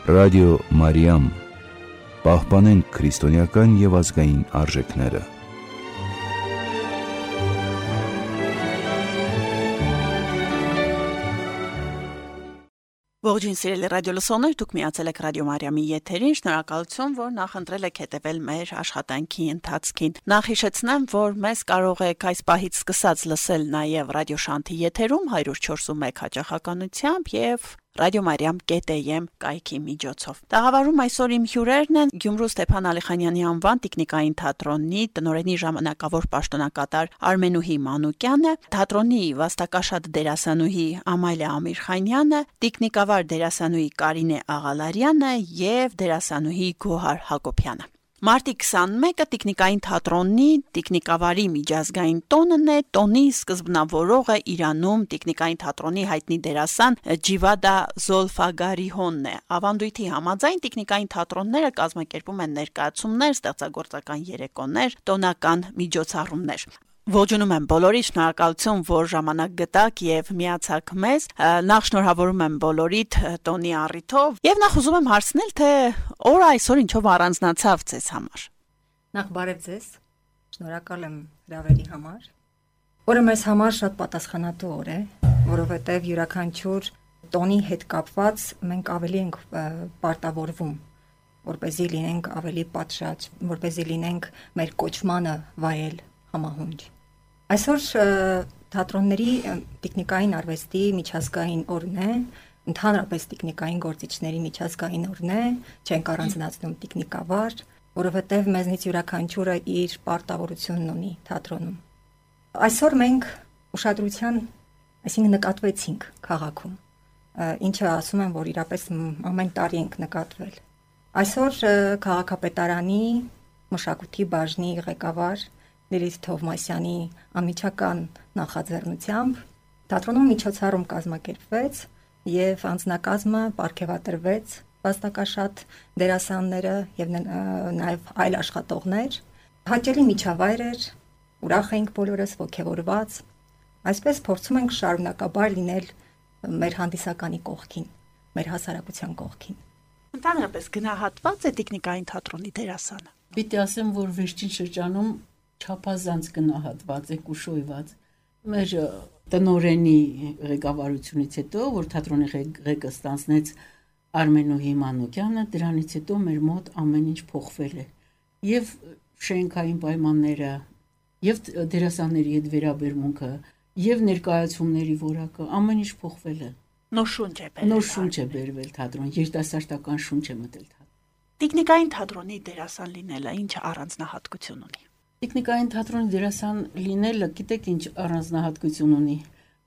Ռադիո Մարիամ, պահպանենք քրիստոնեական և ազգային արժեքները։ Ողջույն սիրելի ռադիոլսողներ, դուք միացել եք Ռադիո Մարիամի եթերին, շնորհակալություն, որ նախընտրել եք հետևել մեր աշխատանքի ընթացքին։ Նախ հիշեցնեմ, որ մեզ կարող եք այս պահից սկսած լսել նաև Ռադիո Շանթի եթերում 104.1 հաճախականությամբ եւ radiomariam.am կայքի միջոցով։ Տաղավարում այսօր իմ հյուրերն են Գյումրու Ստեփան Ալիխանյանի անվան տիկնիկային թատրոնի տնօրենի ժամանակավոր պաշտոնակատար Արմենուհի Մանուկյանը, թատրոնի վաստակաշատ դերասանուհի Ամալիա Ամիրխանյանը, տիկնիկավար դերասանուհի Կարինե Աղալարյանը եւ դերասանուհի Գոհար Հակոբյանը։ Մարտի 21-ը տիկնիկային թատրոնի տիկնիկավարի միջազգային տոնն է, տոնի սկզբնավորողը Իրանում տիկնիկային թատրոնի հայտնի դերասան Ջիվադա Զոլֆագարիհոնն է։ Ավանդույթի համաձայն տիկնիկային թատրոնները կազմակերպում են ներկայացումներ, ստեղծագործական երեկոներ, տոնական միջոցառումներ։ Ողջունում եմ բոլորիդ, շնորհակալություն, որ ժամանակ գտաք եւ միացաք մեզ։ Նախ շնորհավորում եմ բոլորիդ տոնի առիթով եւ նախ ուզում եմ հարցնել, թե օրը այսօր ինչով առանձնացավ ձեզ համար։ Նախ բարև ձեզ։ Շնորհակալ եմ հրավերի համար։ Օրը մեզ համար շատ պատասխանատու օր է, որովհետեւ յուրաքանչյուր տոնի հետ կապված մենք ավելի ենք պարտավորվում, որպեսզի լինենք ավելի պատշաճ, որպեսզի լինենք մեր կոչմանը վայել համահունչ։ Այսօր թատրոնների տիկնիկային արվեստի միջազգային օրն է, ընդհանրապես տիկնիկային գործիչների միջազգային օրն է, չենք առանձնացնում տիկնիկավար, որովհետև մեզնից յուրաքանչյուրը իր պարտավորությունն ունի թատրոնում։ Այսօր մենք ուշադրության, այսինքն նկատվեցինք քաղաքում, ինչը ասում եմ, որ իրապես ամեն տարի ենք նկատվել։ Այսօր քաղաքապետարանի մշակույթի բաժնի ղեկավար Լիլիթ Թովմասյանի անմիջական նախաձեռնությամբ թատրոնում միջոցառում կազմակերպվեց եւ անձնակազմը պարգևատրվեց վաստակաշատ դերասանները եւ նաեւ այլ աշխատողներ։ Հաճելի միջավայր էր, ուրախ էինք բոլորս, ողջավորված։ Այսպես փորձում ենք շարունակաբար լինել մեր հանդիսականի կողքին, մեր հասարակության կողքին։ Ընդհանրապես գնահատված է տիկնիկային թատրոնի դերասանը։ Պիտի ասեմ, որ վերջին շրջանում չափազանց գնահատված է կուշոյված։ Մեր տնօրենի ղեկավարությունից հետո, որ թատրոնի ղեկը ստանձնեց Արմենուհի Մանուկյանը, դրանից հետո մեր մոտ ամեն ինչ փոխվել է։ Եվ շենքային պայմանները, եւ դերասանների հետ վերաբերմունքը, եւ ներկայացումների որակը, ամեն ինչ փոխվել է։ Նոր շունչ է բերվել։ Նոր շունչ է բերվել թատրոն, երիտասարդական շունչ է մտել թատրոն։ Տիկնիկային թատրոնի դերասան լինելը ինչ առանձնահատկություն ունի։ Տիկնիկային թատրոնի դերասան լինելը, գիտեք ինչ առանձնահատկություն ունի։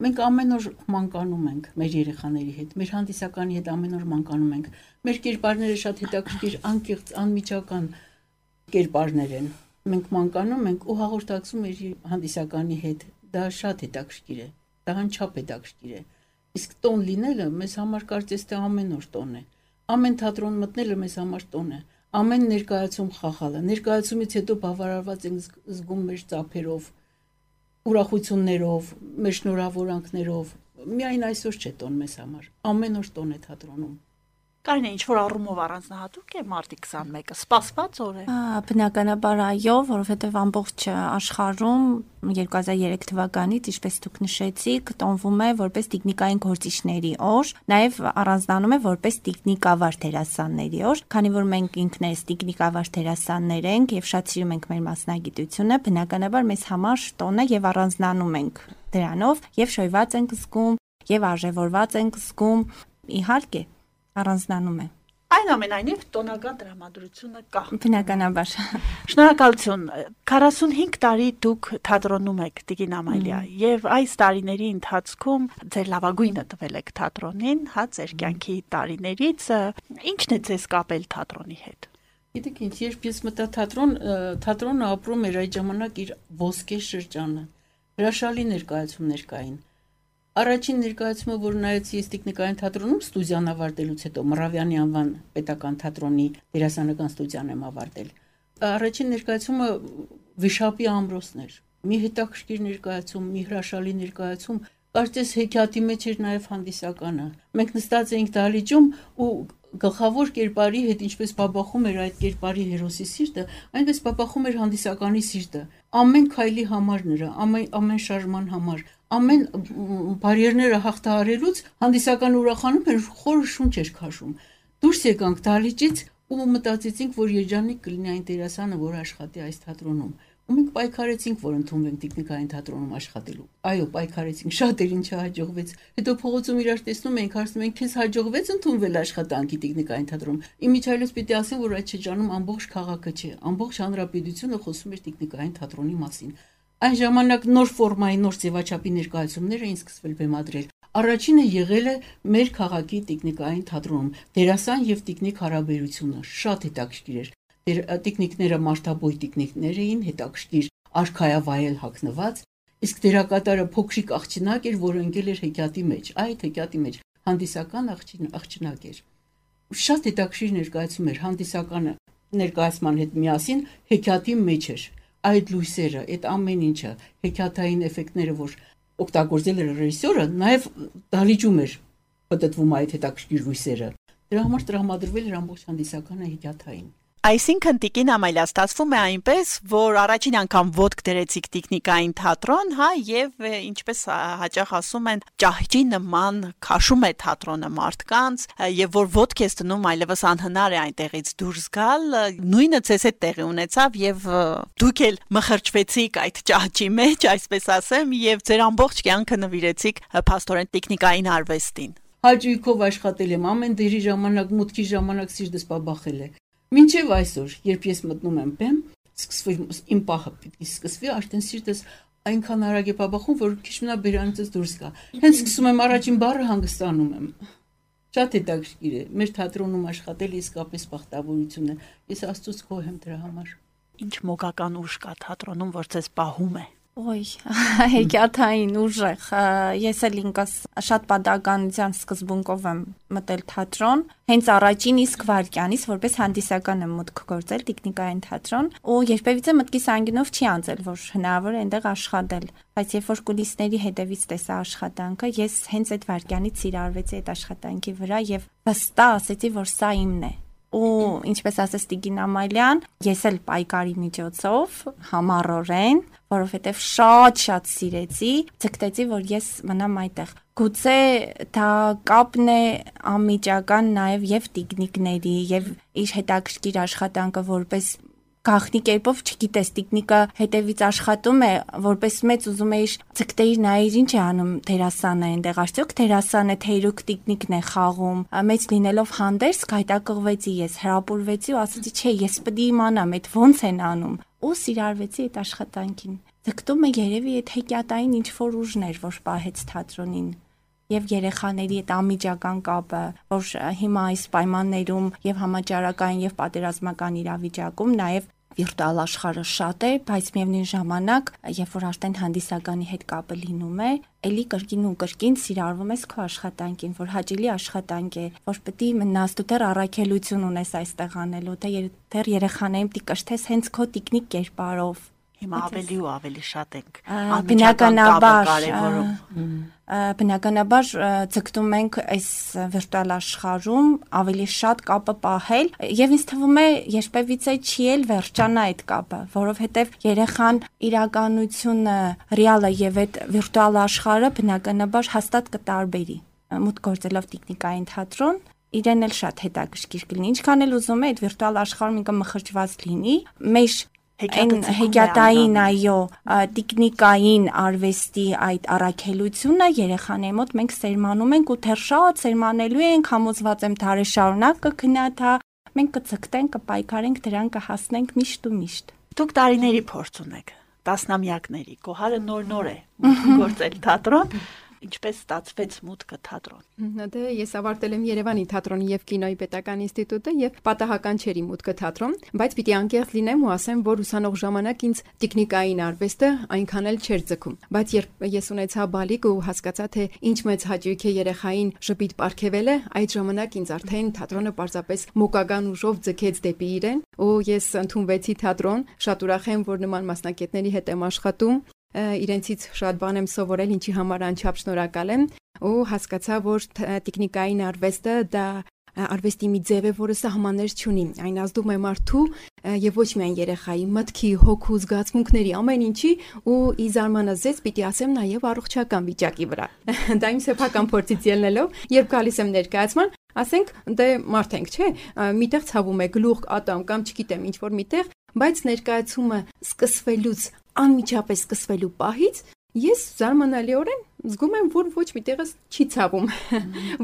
Մենք ամեն օր մանկանում ենք մեր երեխաների հետ, մեր հանդիսականի հետ ամեն օր մանկանում ենք։ Մեր կերպարները շատ հետաքրքիր, անկեղծ, անմիջական կերպարներ են։ Մենք մանկանում ենք ու հաղորդակցում մեր հանդիսականի հետ։ Դա շատ հետաքրքիր է, դա անչափ հետաքրքիր է։ Իսկ տոն լինելը մեզ համար կարծես թե ամեն օր տոն է։ Ամեն թատրոն մտնելը մեզ համար տոն է։ Ամեն ներկայացում խաղալը, ներկայացումից հետո բավարարված ենք զգում մեր ծափերով, ուրախություններով, մեր շնորհավորանքներով։ Միայն այսօր չէ տոն մեզ համար, ամեն օր տոն է թատրոնում։ Կարինե, ինչ-որ առումով առանձնահատուկ է մարտի 21-ը, սպասված օր է։ Բնականաբար այո, որովհետև ամբողջ աշխարհում 2003 թվականից, ինչպես դուք նշեցիք, տոնվում է որպես տիկնիկային գործիչների օր, նաև առանձնանում է որպես տիկնիկավար դերասանների օր, քանի որ մենք ինքներս տիկնիկավար դերասաններ ենք եւ շատ սիրում ենք մեր մասնագիտությունը, բնականաբար մեզ համար տոն է եւ առանձնանում ենք դրանով եւ շոյված ենք զգում եւ արժեվորված ենք զգում, իհարկե առանձնանում է։ Այնուամենայնիվ տոնական տրամադրությունը կա։ Բնականաբար։ Շնորհակալություն։ 45 տարի դուք թատրոնում եք, Տիկին Ամալիա, եւ այս տարիների ընթացքում ձեր լավագույնը տվել եք թատրոնին, հա, ձեր կյանքի տարիներից, ի՞նչն է ձեզ կապել թատրոնի հետ։ Գիտեք ինչ, երբ ես մտա թատրոն, թատրոնը ապրում էր այդ ժամանակ իր ոսկե շրջանը։ Հրաշալի ներկայացումներ կային։ Առաջին ներկայացումը, որ նայեցի ես տիկնիկային թատրոնում ստուդիան ավարտելուց հետո, Մռավյանի անվան պետական թատրոնի դերասանական ստուդիան եմ ավարտել։ Առաջին ներկայացումը Վիշապի ամրոցն էր։ Մի հետաքրքիր ներկայացում, մի հրաշալի ներկայացում, կարծես հեքիաթի մեջ էր նաև հանդիսականը։ Մենք նստած էինք դահլիճում ու գլխավոր կերպարի հետ ինչպես բաբախում էր այդ կերպարի հերոսի սիրտը, այնպես բաբախում էր հանդիսականի սիրտը։ Ամեն քայլի համար նրա, ամեն շարժման համար, ամեն բարիերները հաղթահարելուց հանդիսականը ուրախանում էր, խորը շունչ էր քաշում։ Դուրս եկանք դահլիճից ու մտածեցինք, որ երջանիկ կլինի այն դերասանը, որ աշխատի այս թատրոնում։ Ու մենք պայքարեցինք, որ ընդունվենք տեխնիկային թատրոնում աշխատելու։ Այո, պայքարեցինք, շատերին չհաջողվեց։ Հետո փողոցում իրար տեսնում ենք, հարցնում ենք, քեզ հաջողվեց ընդունվել աշխատանքի տեխնիկային թատրոնում։ Իմիջիայլոց պիտի ասեմ, որ այդ շրջանում ամբողջ քաղաքը չէ, ամբողջ հանրապետությունը խոսում էր տեխնիկային թատրոնի մասին։ Այն ժամանակ նոր ֆորմայի, նոր ձևաչափի ներկայացումներ էին սկսվել բեմադրել։ Առաջինը եղել է մեր քաղաքի տեխնիկային թատրոնում։ Դերասան եւ տեխնիկ հարաբերությունը շատ հետաքրքիր էր։ Տեխնիկները մարդաբույ տեխնիկներ էին, հետաքրքիր արքայավայել հագնված, իսկ դերակատարը փոքրիկ աղջնակ էր, որը ընկել էր հեքիաթի մեջ։ Այդ հեքիաթի մեջ հանդիսական աղջնակ էր։ Շատ հետաքրքիր ներկայացում էր, հանդիսականը ներկայացման հետ միասին հեքիաթի մեջ էր։ Այդ լույսերը, այդ ամեն ինչը, հեքիաթային էֆեկտները, որ օգտագործել էր ռեժիսորը, նաև դահլիճում էր պատտվում այդ հետաքրքիր լույսերը։ Դրա համար տրամադրվել էր ամբողջ հանդիսականը հեքիաթային։ Այսինքն Տիկին Ամալիա, ստացվում է այնպես, որ առաջին անգամ ոտք դրեցիք տեխնիկային թատրոն, հա, եւ ինչպես հաճախ ասում են, ճահճի նման քաշում է թատրոնը մարդկանց, եւ որ ոտք ես դնում, այլևս անհնար է այնտեղից դուրս գալ, նույնը ցես հետ տեղի ունեցավ եւ դուք էլ մխրճվեցիք այդ ճահճի մեջ, այսպես ասեմ, եւ ձեր ամբողջ կյանքը նվիրեցիք փաստորեն տեխնիկային արվեստին։ Հաճույքով աշխատել եմ, ամեն դերի ժամանակ, մուտքի ժամանակ սիրտս բաբախել է։ Մինչև այսօր, երբ ես մտնում եմ բեմ, սկսվի իմ պահը պիտի սկսվի, արդեն սիրտս այնքան արագ է բաբախում, որ քիչ մնա բերանից դուրս գա։ Հենց սկսում եմ առաջին բառը հանգստանում եմ։ Շատ հետաքրքիր է։ Մեր թատրոնում աշխատել իսկապես բախտավորություն է։ Ես Աստծուց գոհ եմ դրա համար։ Ինչ մոգական ուժ կա թատրոնում, որ ձեզ պահում է։ Ոյ, հեքիաթային ուժեղ։ Ես էլ ինքս շատ պատահականության սկզբունքով եմ մտել թատրոն, հենց առաջին իսկ վայրկյանից, որպես հանդիսական եմ մուտք գործել տեխնիկային թատրոն, ու երբևիցե մտքիս անգինով չի անցել, որ հնարավոր է այնտեղ աշխատել, բայց երբ որ կուլիսների հետևից տեսա աշխատանքը, ես հենց այդ վայրկյանից սիրարվեցի այդ աշխատանքի վրա եւ վստահ ասեցի, որ սա իմն է։ Ու ինչպես ասեց Տիկին Ամալյան, ես էլ պայքարի միջոցով համառորեն, որովհետև շատ սիրեցի, ցկտեցի, որ ես մնամ այդտեղ։ Գուցե դա կապն է անմիջական նաև եւ տեխնիկների եւ իր հետաքրքիր աշխատանքը որպես գաղտնի կերպով, չգիտես, տեխնիկա հետևից աշխատում է, որպես մեծ ուզում էիր ցկտեիր նայիր ինչ է անում դերասանը այնտեղ, արդյոք դերասանը թեյրուկ տեխնիկն է խաղում, մեծ լինելով հանդերձ գայթակղվեցի ես, հրապուրվեցի ու ասացի, չէ, ես պետք է իմանամ, այդ ոնց են անում, ու սիրարվեցի այդ աշխատանքին։ Ձգտումը երևի այդ հեքիաթային ինչ որ ուժն էր, որ պահեց թատրոնին։ Եվ երեխաների այդ անմիջական կապը, որ հիմա այս պայմաններում եւ համաճարակային եւ պատերազմական իրավիճակում նաեւ վիրտուալ աշխարհը շատ է, բայց միևնույն ժամանակ, երբ որ արդեն հանդիսականի հետ կապը լինում է, էլի կրկին ու կրկին սիրարվում ես քո աշխատանքին, որ հաճելի աշխատանք է, որ պետք է մնաս դու դեռ առաքելություն ունես այստեղ անելու, դեռ երեխաներին պետք է կշտես հենց քո տեխնիկ կերպարով։ Հիմա ավելի ու ավելի շատ ենք բնականաբար ձգտում ենք այս վիրտուալ աշխարհում ավելի շատ կապը պահել եւ ինձ թվում է երբևիցե չի էլ վերջանա այդ կապը, որովհետեւ երեխան իրականությունը ռեալը եւ այդ վիրտուալ աշխարհը բնականաբար հաստատ կտարբերի։ Մուտք գործելով տեխնիկային թատրոն իրեն էլ շատ հետաքրքիր կլինի, ինչքան էլ ուզում է այդ վիրտուալ աշխարհում ինքը մխրճված լինի, մեր հեքիաթային այո տեխնիկային արվեստի այդ առաքելությունը երեխաների մոտ մենք սերմանում ենք ու թեր շատ սերմանելու ենք, համոզված եմ դարի շարունակ կգնա դա, մենք կցկտենք, կպայքարենք, դրան կհասնենք միշտ ու միշտ։ Դուք տարիների փորձ ունեք, տասնամյակների, Գոհարը նոր է գործել թատրոն, ինչպես ստացվեց մուտքը թատրոն։ Դե ես ավարտել եմ Երևանի թատրոնի եւ կինոյի պետական ինստիտուտը եւ պատահական չէր իմ մուտքը թատրոն, բայց պիտի անկեղծ լինեմ ու ասեմ, որ ուսանող ժամանակ ինձ տեխնիկային արվեստը այնքան էլ չէր ձգում, բայց երբ ես ունեցա բալիկ ու հասկացա թե ինչ մեծ հաճույք է երեխային ժպիտ պարգևելը, այդ ժամանակ ինձ արդեն թատրոնը պարզապես մոգական ուժով ձգեց դեպի իրեն ու ես ընդունվեցի թատրոն, շատ ուրախ եմ, որ նման մասնակիցների հետ եմ աշխատում, իրենցից շատ բան եմ սովորել, ինչի համար անչափ շնորհակալ եմ ու հասկացա, որ տեխնիկային արվեստը դա արվեստի մի ձև է, որը սահմաններ չունի։ Այն ազդում է մարդու եւ ոչ միայն երեխայի մտքի, հոգու, զգացմունքների, ամեն ինչի ու ի զարմանազես պիտի ասեմ նաեւ առողջական վիճակի վրա։ Դա իմ սեփական փորձից ելնելով, երբ գալիս եմ ներկայացման, ասենք դե մարդ ենք, չէ՞, միտեղ ցավում է գլուխ, ատամ կամ չգիտեմ ինչ որ միտեղ, բայց ներկայացումը սկսվելուց, անմիջապես սկսվելու պահից ես զարմանալիորեն զգում եմ, որ ոչ մի տեղս չի ցավում։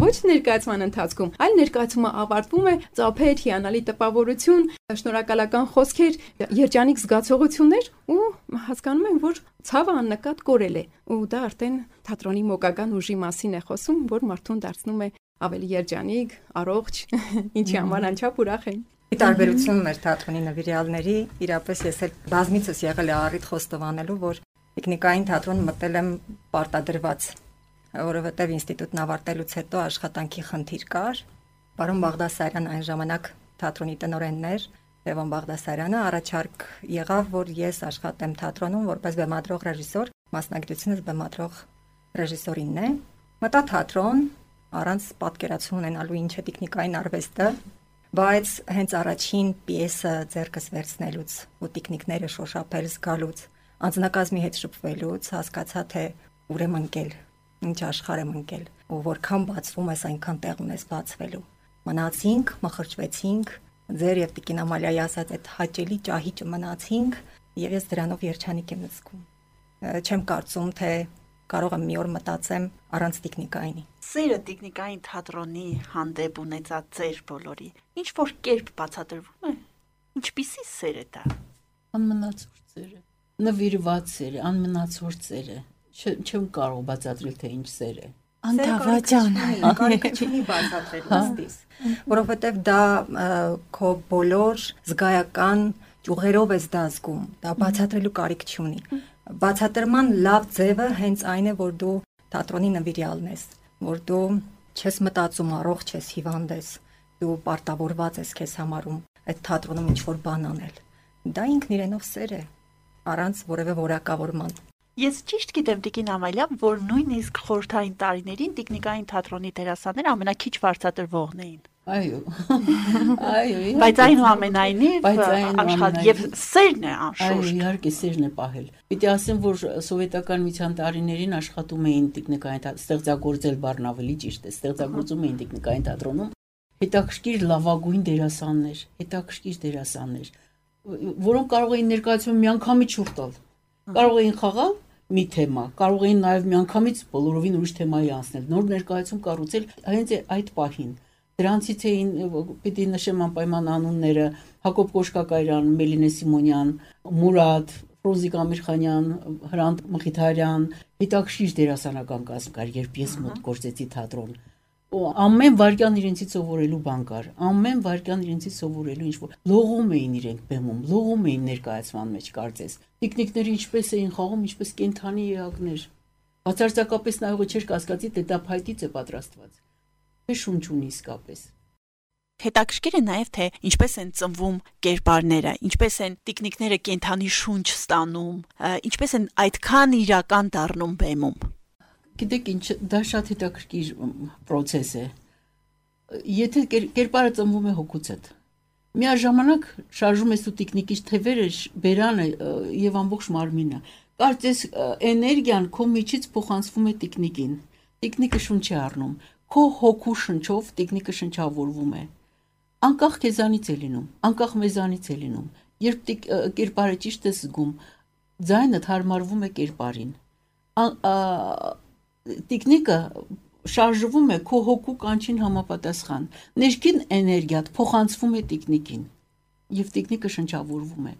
Ոչ ներկայացման ընթացքում, այլ ներկայացումը ավարտվում է ծափեր, հիանալի տպավորություն, շնորհակալական խոսքեր, երջանիկ զգացողություններ ու հասկանում եմ, որ ցավը աննկատ կորել է։ Ու դա արդեն թատրոնի մոգական ուժի մասին է խոսում, որ մարդուն դարձնում է ավելի երջանիկ, առողջ, ինչի համար անչափ ուրախ են։ Ի տարբերություն մեր թատրոնի նվիրյալների, իրապես ես էլ բազմիցս եղել եմ առիթ խոստովանելու, որ տեխնիկային թատրոն մտել եմ պարտադրված, որովհետև ինստիտուտն ավարտելուց հետո աշխատանքի խնդիր կար։ Պարոն Բաղդասարյան այն ժամանակ թատրոնի տնօրենն էր, Լևոն Բաղդասարյանը առաջարկ եղավ, որ ես աշխատեմ թատրոնում որպես բեմադրող ռեժիսոր, մասնագիտությունս բեմադրող ռեժիսորինն է։ Մտա թատրոն առանց պատկերացում ունենալու ինչ է տեխնիկային արվեստը, բայց հենց առաջին պիեսը ձեռքս վերցնելուց ու տեխնիկները շոշափել զգալուց, անձնակազմի հետ շփվելուց հասկացա, թե ուր եմ ընկել, ինչ աշխարհ եմ ընկել, ու որքան բացվում ես, այնքան տեղ ունես բացվելու։ Մնացինք, մխրճվեցինք, ձեր եւ Տիկին Ամալիայի ասած այդ հաճելի ճահիճը մնացինք, եւ ես դրանով երջանիկ եմ զգում։ Չեմ կարծում, թե կարող եմ մի օր մտածեմ առանց տեխնիկայինի։ Սերը տեխնիկային թատրոնի հանդեպ ունեցած ձեր բոլորի ինչ որ կերպ բացատրվում է։ Ինչպիսի սեր է դա։ Անմնացորդ սեր է, նվիրված սեր է, անմնացորդ սեր է։ Չեմ կարող բացատրել, թե ինչ սեր է։ Անթավաճան, կարիք չունի բացատրել աստիս, որովհետև դա քո բոլոր զգայական ճյուղերով ես դա զգում, դա բացատրելու կարիք չունի։ Բացատրման լավ ձևը հենց այն է, որ դու թատրոնի նվիրյալն ես, որ դու չես մտածում առողջ ես, հիվանդ ես, դու պարտավորված ես քեզ համարում այդ թատրոնում ինչ-որ բան անել։ Դա ինքն իրենով սեր է, առանց որևէ որակավորման։ Ես ճիշտ գիտեմ Տիկին Ամալիա, որ նույնիսկ խորհրդային տարիներին տեխնիկային թատրոնի դերասանները ամենակիչ վարձատրվողն էին։ Այո։ Այո։ Բայց այնուամենայնիվ աշխատել եւ սերն է անշուշտ։ Այո, իհարկե սերն է պահել։ Պիտի ասեմ, որ սովետական միության տարիներին աշխատում էին տեխնիկային ստեղծագործել բառն ավելի ճիշտ է, ստեղծագործում էին տեխնիկային թատրոնում հետաքրքիր լավագույն դերասաններ, որոնք կարող էին ներկայացում միանգամից շուրջ տալ։ Կարող էին խաղալ մի թեմա, կարող էին նաև միանգամից բոլորովին ուրիշ թեմայի անցնել, նոր ներկայացում կառուցել հենց այդ պահին։ Դրանցից էին պիտի նշեմ անպայման անունները Հակոբ Կոշկակարյան, Մելինե Սիմոնյան, Մուրադ, Ֆրոզիկ Ամիրխանյան, Հրանտ Մխիթարյան, հետաքրքիր դերասանական կազմ կար, երբ ես մոտ գործեցի թատրոն։ Ամեն վարքյան իրենցից սովորելու բան կար, ամեն վարքյան իրենցից սովորելու ինչ-որ լողում էին իրենք բեմում, լողում էին ներկայացման մեջ կարծես։ Տեխնիկները ինչպես էին խաղում, ինչպես կենթանի էակներ։ Բացարձակապես նայողը չէր կասկածի, թե դա փայտից է պատրաստված։ Թե շունչ ունի իսկապես։ Հետաքրքիր է նաև թե ինչպես են ծնվում կերպարները, ինչպես են տեխնիկները կենթանի շունչ ստանում, ինչպես են այդքան իրական դառնում բեմում։ Գիտեք ինչ, դա շատ հետաքրքիր process է։ Եթե կերպարը ծնվում է հոգուց հետ, միաժամանակ շարժում ես ու տեխնիկի թևերը, բերանը եւ ամբողջ մարմինը։ Կարծես էներգիան քո միջից փոխանցվում է տեխնիկին։ Տեխնիկը շունչ է առնում։ Քո հոգու շնչով տեխնիկը շնչավորվում է։ Անկախ քեզանից է լինում, անկախ մեզանից է լինում։ Երբ կերպարը ճիշտ է զգում, ձայնը հարմարվում է կերպարին։ Տեխնիկը շարժվում է քո հոգու կանչին համապատասխան։ Ներքին էներգիան փոխանցվում է տեխնիկին, եւ տեխնիկը շնչավորվում է։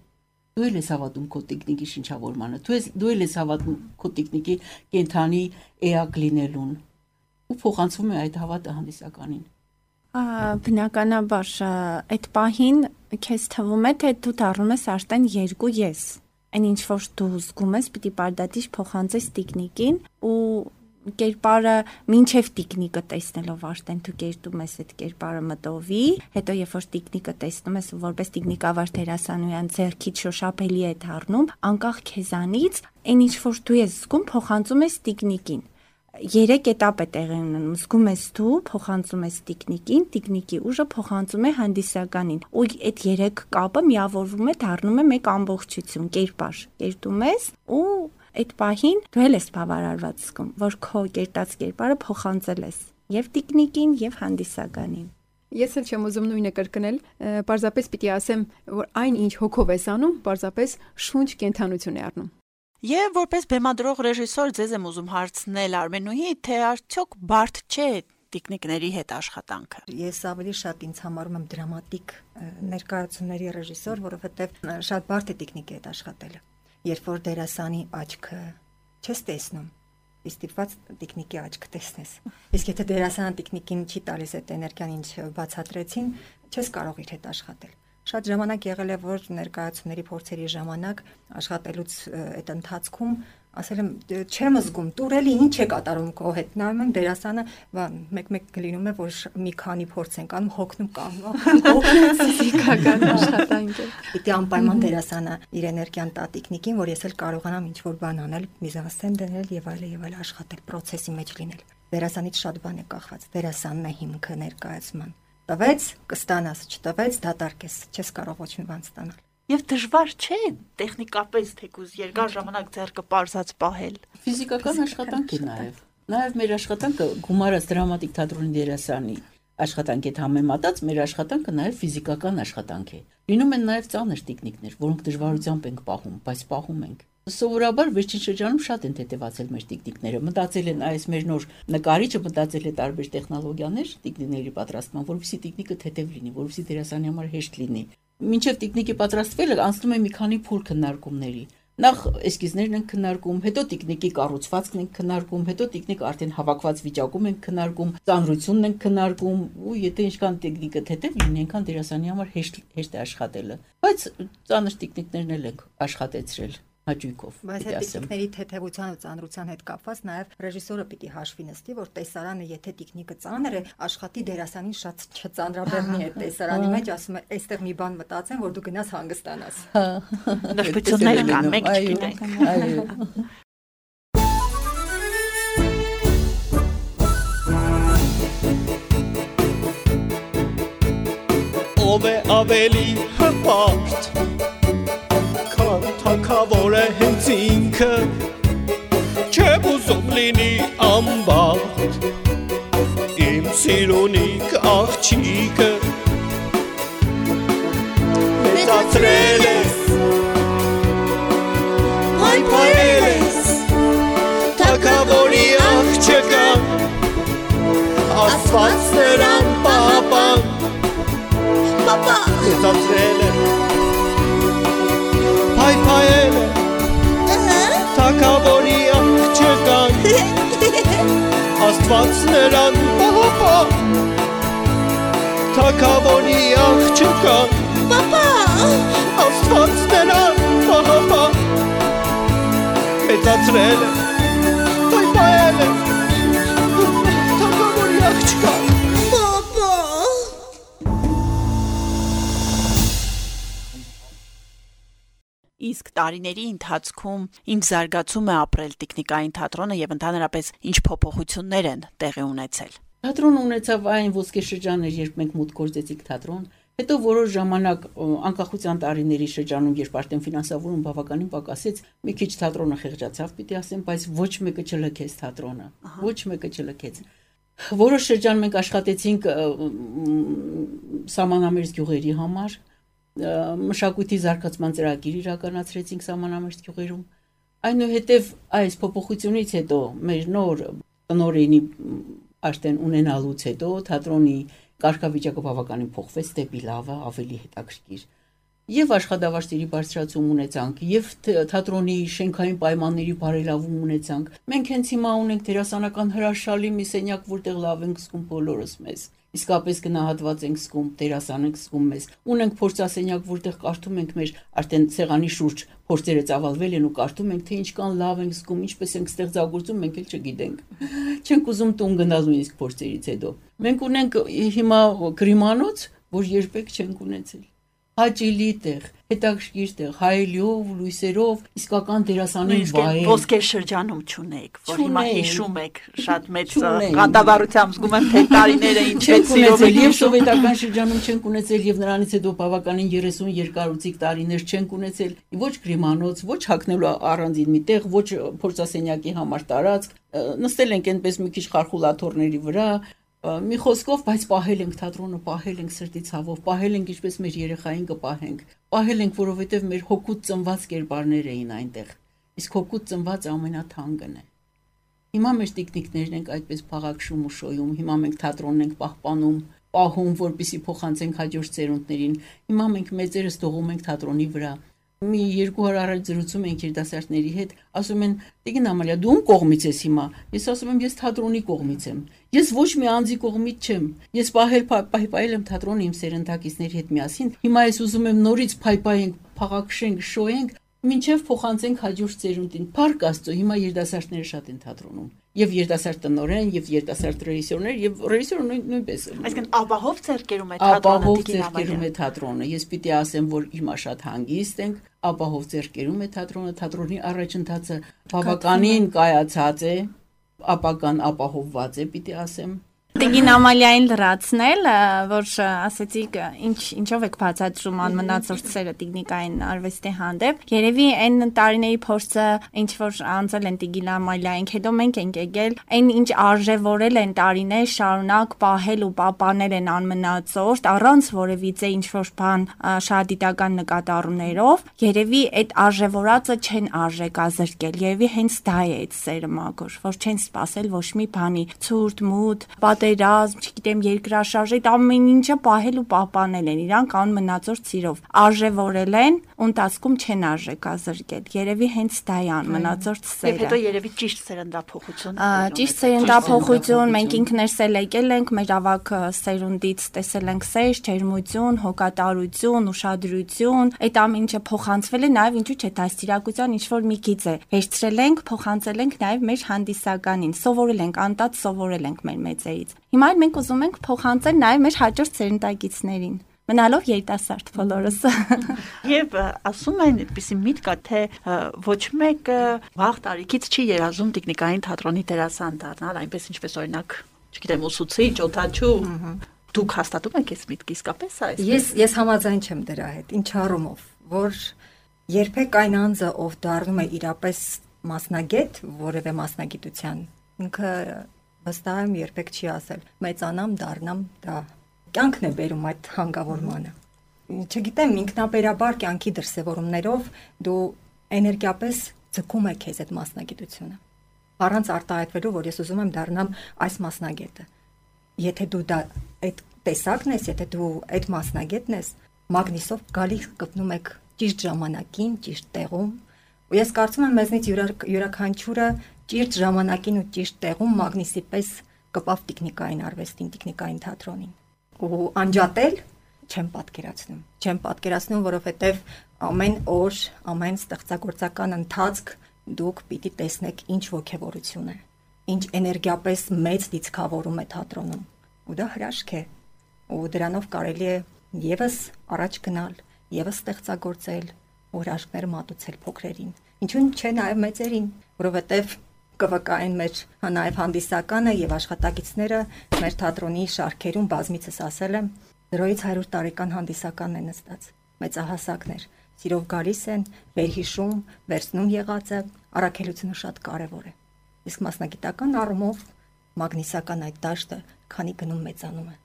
Դու ես հավատում քո տեխնիկի շնչավորմանը, դու ես հավատում քո տեխնիկի կենթանի էակ լինելուն, ու փոխանցվում է այդ հավատը հանդիսականին։ Բնականաբար այդ պահին քեզ թվում է, թե դու դառնում ես արդեն երկու ես։ Այն ինչ որ դու զգում ես, պիտի պարդատիչ փոխանցես տեխնիկին ու կերպարը մինչև տեխնիկը տեսնելով արդեն դու կերտում ես այդ կերպարը մտովի, հետո երբ որ տեխնիկը տեսնում ես որպես տեխնիկավար դերասանուհի ձեռքից շոշափելի է դառնում, անկախ քեզանից, այն ինչ որ դու ես զգում, փոխանցում ես տեխնիկին։ 3 этап է տեղի ունենում։ Զգում ես դու, փոխանցում ես տիկնիկին, տիկնիկի ուժը փոխանցում է հանդիսականին։ Ու այդ 3 կապը միավորվում է, դառնում է մեկ ամբողջություն, կերպար։ Կերտում ես ու այդ պահին դու էլ ես բավարարված զգում, որ քո կերտած կերպարը փոխանցել ես եւ տիկնիկին, եւ հանդիսականին։ Ես էլ չեմ ուզում նույնը կրկնել, պարզապես պիտի ասեմ, որ այն ինչ հոգով ես անում, պարզապես շունչ կենթանություն է առնում։ Եվ որպես բեմադրող ռեժիսոր ձեզ եմ ուզում հարցնել Արմենուհի, թե արդյոք բարդ չէ տիկնիկների հետ աշխատանքը։ Ես ավելի շատ ինձ համարում եմ դրամատիկ ներկայացումների ռեժիսոր, որովհետև շատ բարդ է տիկնիկի հետ աշխատելը։ Երբ որ դերասանի աչքը չես տեսնում, ստիպված տիկնիկի աչքը տեսնես։ Իսկ եթե դերասանը տիկնիկին չի տալիս այդ էներգիան, ինչ բացատրեցին, չես կարող իր հետ աշխատել։ Շատ ժամանակ եղել է, որ ներկայացումների փորձերի ժամանակ աշխատելուց այդ ընթացքում ասել եմ չեմ զգում, տուրելի ինչ է կատարում քո հետ։ Նայում եմ դերասանը, մեկ-մեկ լինում է, որ մի քանի փորձ են կանում, հոգնում կանում։ Ֆիզիկական աշխատանք է։ Պիտի անպայման դերասանը իր էներգիան տա տիկնիկին, որ ես էլ կարողանամ ինչ-որ բան անել, միզանսցեն դնել եւ այլ աշխատել, process-ի մեջ լինել։ Դերասանից շատ բան է կախված։ Դերասանն է հիմքը ներկայացման։ Տվեց, կստանաս, չտվեց, դատարկես, չես կարող ոչ մի բան ստանալ։ Եվ դժվար չէ տեխնիկապես թեկուզ երկար ժամանակ ձեռքը պարզած պահել։ Ֆիզիկական աշխատանք է նաև։ Նաև մեր աշխատանքը գումարած դրամատիկ թատրոնի դերասանի աշխատանքի հետ համեմատած մեր աշխատանքը նաև ֆիզիկական աշխատանք է։ Լինում են նաև ծանր տեխնիկներ, որոնք դժվարությամբ ենք պահում, բայց պահում ենք։ Սովորաբար վերջին շրջանում շատ են թեթևացել մեր տեխնիկները։ Մտածել են այս մեր նոր նկարիչը մտածել է տարբեր տեխնոլոգիաներ տեխնիկների պատրաստման, որովհետեւ տեխնիկը թեթև լինի, որովհետեւ դերասանի համար հեշտ լինի։ Մինչև տեխնիկի պատրաստվելը անցնում է մի քանի փուլ քննարկումների։ Նախ էսկիզներն են քննարկում, հետո տեխնիկի կառուցվածքն են քննարկում, հետո տեխնիկը արդեն հավաքված վիճակում են քննարկում, ծանրությունն են քննարկում, ու եթե ինչքան տեխնիկը թեթև լինի, այնքան դերասանի համար հեշտ է աշխատելը։ Բայց ծանր տեխնիկներն էլ են աշխատեցրել հաճույքով։ Բայց այդ տեխնիկների թեթևության ու ծանրության հետ կապված նաև ռեժիսորը պիտի հաշվի նստի, որ տեսարանը, եթե տեխնիկը ծանր է, աշխատի դերասանին շատ չծանրաբեռնի այդ տեսարանի մեջ, ասում է, այստեղ մի բան մտածեմ, որ դու գնաս հանգստանաս։ Նրբություններ կան, մենք չգիտենք։ Այո։ Ով է ավելի հպարտ թակավոր է հենց ինքը, չեմ ուզում լինի ամբարդ, իմ սիրունիկ աղջիկը, մեծացրել ես, պայպայել ես, թակավորի աղջկան, աստված նրան պապան, մեծացրել ես, Հայ-հայել է, թակավորի աղջկան, աստված նրան պապա, թակավորի աղջկան, աստված նրան պապա, մեծացրել է, հայ-հայել է, թակավորի աղջկան, Իսկ տարիների ընթացքում ինչ զարգացում է ապրել տեխնիկային թատրոնը եւ ընդհանրապես ինչ փոփոխություններ են տեղի ունեցել։ Թատրոնը ունեցավ այն ոսկե շրջաններ, երբ մենք մուտք գործեցինք թատրոն, հետո որոշ ժամանակ անկախության տարիների շրջանում, երբ արդեն ֆինանսավորում բավականին պակասեց, մի քիչ թատրոնը խեղճացավ, պիտի ասեմ, բայց ոչ մեկը չլքեց թատրոնը, ոչ մեկը չլքեց։ Որոշ շրջան մենք աշխատեցինք սահմանամերձ գյուղերի համար, մշակույթի զարգացման ծրագիր իրականացրեցինք սահմանամերձ գյուղերում։ Այնուհետև այս փոփոխությունից հետո մեր նոր տնօրենի արդեն ունենալուց հետո թատրոնի կարգավիճակը բավականին փոխվեց դեպի լավը, ավելի հետաքրքիր։ Եվ աշխատավարձերի բարձրացում ունեցանք, եւ թատրոնի շենքային պայմանների բարելավում ունեցանք։ Մենք հենց հիմա ունենք դերասանական հրաշալի մի սենյակ, որտեղ լավ ենք զգում բոլորս մեզ։ Իսկապես գնահատված ենք զգում, դերասան ենք զգում մեզ։ Ունենք փորձասենյակ, որտեղ կարդում ենք մեր արդեն սեղանի շուրջ փորձերը ծավալվել են ու կարդում ենք, թե ինչքան լավ ենք զգում, ինչպես ենք ստեղծագործում, մենք էլ չգիտենք։ Չենք ուզում տուն գնալ նույնիսկ փորձերից հետո։ Մենք ունենք հիմա գրիմանոց, որ երբեք չենք ունեցել։ հաճելի տեղ, հետաքրքիր տեղ, հայելիով, լույսերով, իսկական դերասանին վայել։ Ոսկեր շրջանում չունեք, որ հիմա հիշում եք շատ մեծ ղանդավառությամբ զգում եմ թե տարիները ինչպես սիրով եք եւ սովետական շրջանում չենք ունեցել եւ նրանից հետո բավականին 30 երկարուցիկ տարիներ չենք ունեցել ոչ գրիմանոց, ոչ հագնելու առանձին մի տեղ, ոչ փորձասենյակի համար տարածք, նստել ենք այնպես մի քիչ խարխուլաթորների վրա, մի խոսքով, բայց պահել ենք թատրոնը, պահել ենք սրտի ցավով, պահել ենք ինչպես մեր երեխային կպահենք, պահել ենք, որովհետև մեր հոգուց ծնված կերպարներ էին այնտեղ, իսկ հոգուց ծնված ամենաթանկն է։ Հիմա մեր տիկնիկներն ենք այդպես փաղաքշում ու շոյում, հիմա մենք թատրոնն ենք պահպանում, պահում, որպեսզի փոխանցենք հաջորդ սերունդներին, հիմա մենք մեծերս դողում ենք թատրոնի վրա։ Մի 2 օր առաջ զրուցում ենք երիտասարդների հետ, ասում են՝ «Տիկին Ամալիա, դու ում կողմից ես հիմա»։ Ես ասում եմ՝ «Ես թատրոնի կողմից եմ»։ Ես ոչ մի անձի կողմից չեմ։ Ես պահել եմ թատրոնը իմ սերնդակիցների հետ միասին։ Հիմա ես ուզում եմ նորից փայփայենք, փաղաքշենք, շոյենք, մինչև փոխանցենք հաջորդ սերունդին։ Փառք Աստծո, հիմա երիտասարդները շատ են թատրոնում։ Եվ երիտասարդ տնօրեն, եւ երիտասարդ ռեժիսորներ, եւ ռեժիսորը նույնպես։ Այսինքն ապահով ձեռքերում է թատրոնը, ապահով ձեռքերում է թատրոնը։ Ես պիտի ասեմ, որ հիմա շատ հանգիստ ենք, ապահով ձեռքերում է թատրոնը, թատրոնի առաջընթացը բավականին կայացած է, ապագան ապահովված է, պիտի ասեմ։ Տիկին Ամալիային լրացնել, որ ասեցիք ինչով եք բացատրում անմնացորդ սերը տեխնիկային արվեստի հանդեպ, երևի այն տարիների փորձը ինչ որ անցել են տիկին Ամալիային, հետո մենք ենք եկել, այն ինչ արժևորել են տարիներ շարունակ պահել ու պահպանել են անմնացորդ առանց որևիցե ինչ որ բան շահադիտական նկատառումներով, երևի այդ արժևորածը չեն արժեքազրկել, երևի հենց դա է այդ սերը մագոր, որ չեն սпасել ոչ մի բանի, ցուրտ, մութ, պատերազմ, չգիտեմ, երկրաշարժ, այդ ամեն ինչը պահել ու պահպանել են, իրանք անմնացորդ սիրով արժևորել են, ու ընթացքում չեն արժեքազրկել։ Երևի հենց դա է անմնացորդ սերը։ Եվ հետո երևի ճիշտ սերնդափոխություն։ Ճիշտ սերնդափոխություն, մենք ինքներս էլ եկել ենք, մեր ավակ սերունդից տեսել ենք սեր, ջերմություն, հոգատարություն, ուշադրություն, այդ ամեն ինչը փոխանցվել է, նաև ինչու՞ չէ, դաստիարակության ինչ որ մի գիծ է։ Վերցրել ենք, փոխանցել ենք նաև մեր հանդիսականին, սովորել ենք, անտած սովորել ենք մեր մեծերից։ Հիմա մենք ուզում ենք փոխանցել նաև մեր հաջորդ սերնդագիցներին, մնալով երիտասարդ բոլորս։ Եվ ասում են, այդպիսի միտք կա, թե ոչ մեկը վաղ տարիքից չի երազում տեխնիկային թատրոնի դերասան դառնալ, այնպես ինչպես օրինակ, չգիտեմ, ուսուցիչ, օդաչու։ Դուք հաստատում եք այս միտքը իսկապես այս։ Ես համաձայն չեմ դրա հետ, ինչ առումով, որ երբեք այն անձը, ով դառնում է իրապես մասնագետ որևէ մասնագիտության, ինքը վստահ եմ երբեք չի ասել մեծանամ, դառնամ, դա կյանքն է բերում այդ հանգավորմանը։ Չգիտեմ, ինքնաբերաբար կյանքի դրսևորումներով դու էներգիապես ձգում ես քեզ այդ մասնագիտությունը։ Առանց արտահայտվելու, որ ես ուզում եմ դառնամ այս մասնագետը։ Եթե դու դա այդ տեսակն ես, եթե դու այդ մասնագետն ես, մագնիսով գալիս գտնում եք ճիշտ ժամանակին, ճիշտ տեղում։ Ու ես կարծում եմ մեզնից յուրաքանչյուրը ճիշտ ժամանակին ու ճիշտ տեղում մագնիսի պես կպավ տեխնիկային արվեստին, տեխնիկային թատրոնին։ Ու անջատել չեմ պատկերացնում, որովհետև ամեն օր, ամեն ստեղծագործական ընթացք դուք պիտի տեսնեք ինչ ոգևորություն է, ինչ էներգիապես մեծ դիցքավորում է թատրոնում։ Ու դա հրաշք է։ Ու դրանով կարելի է եւս առաջ գնալ, եւս ստեղծագործել, հրաշքներ մատուցել փոքրերին։ Ինչու՞ չէ նաև մեծերին, որովհետև ԿՎԿ-ին մեր նաև հանդիսականը եւ աշխատակիցները մեր թատրոնի շարքերում բազմիցս ասել եմ 0-100 տարեկան հանդիսականն է նստած, մեծահասակներ, սիրով գալիս են, վերհիշում, վերցնում եղածը, առաքելությունը շատ կարևոր է։ Իսկ մասնագիտական առումով մագնիսական այդ դաշտը քանի գնում մեծանում է։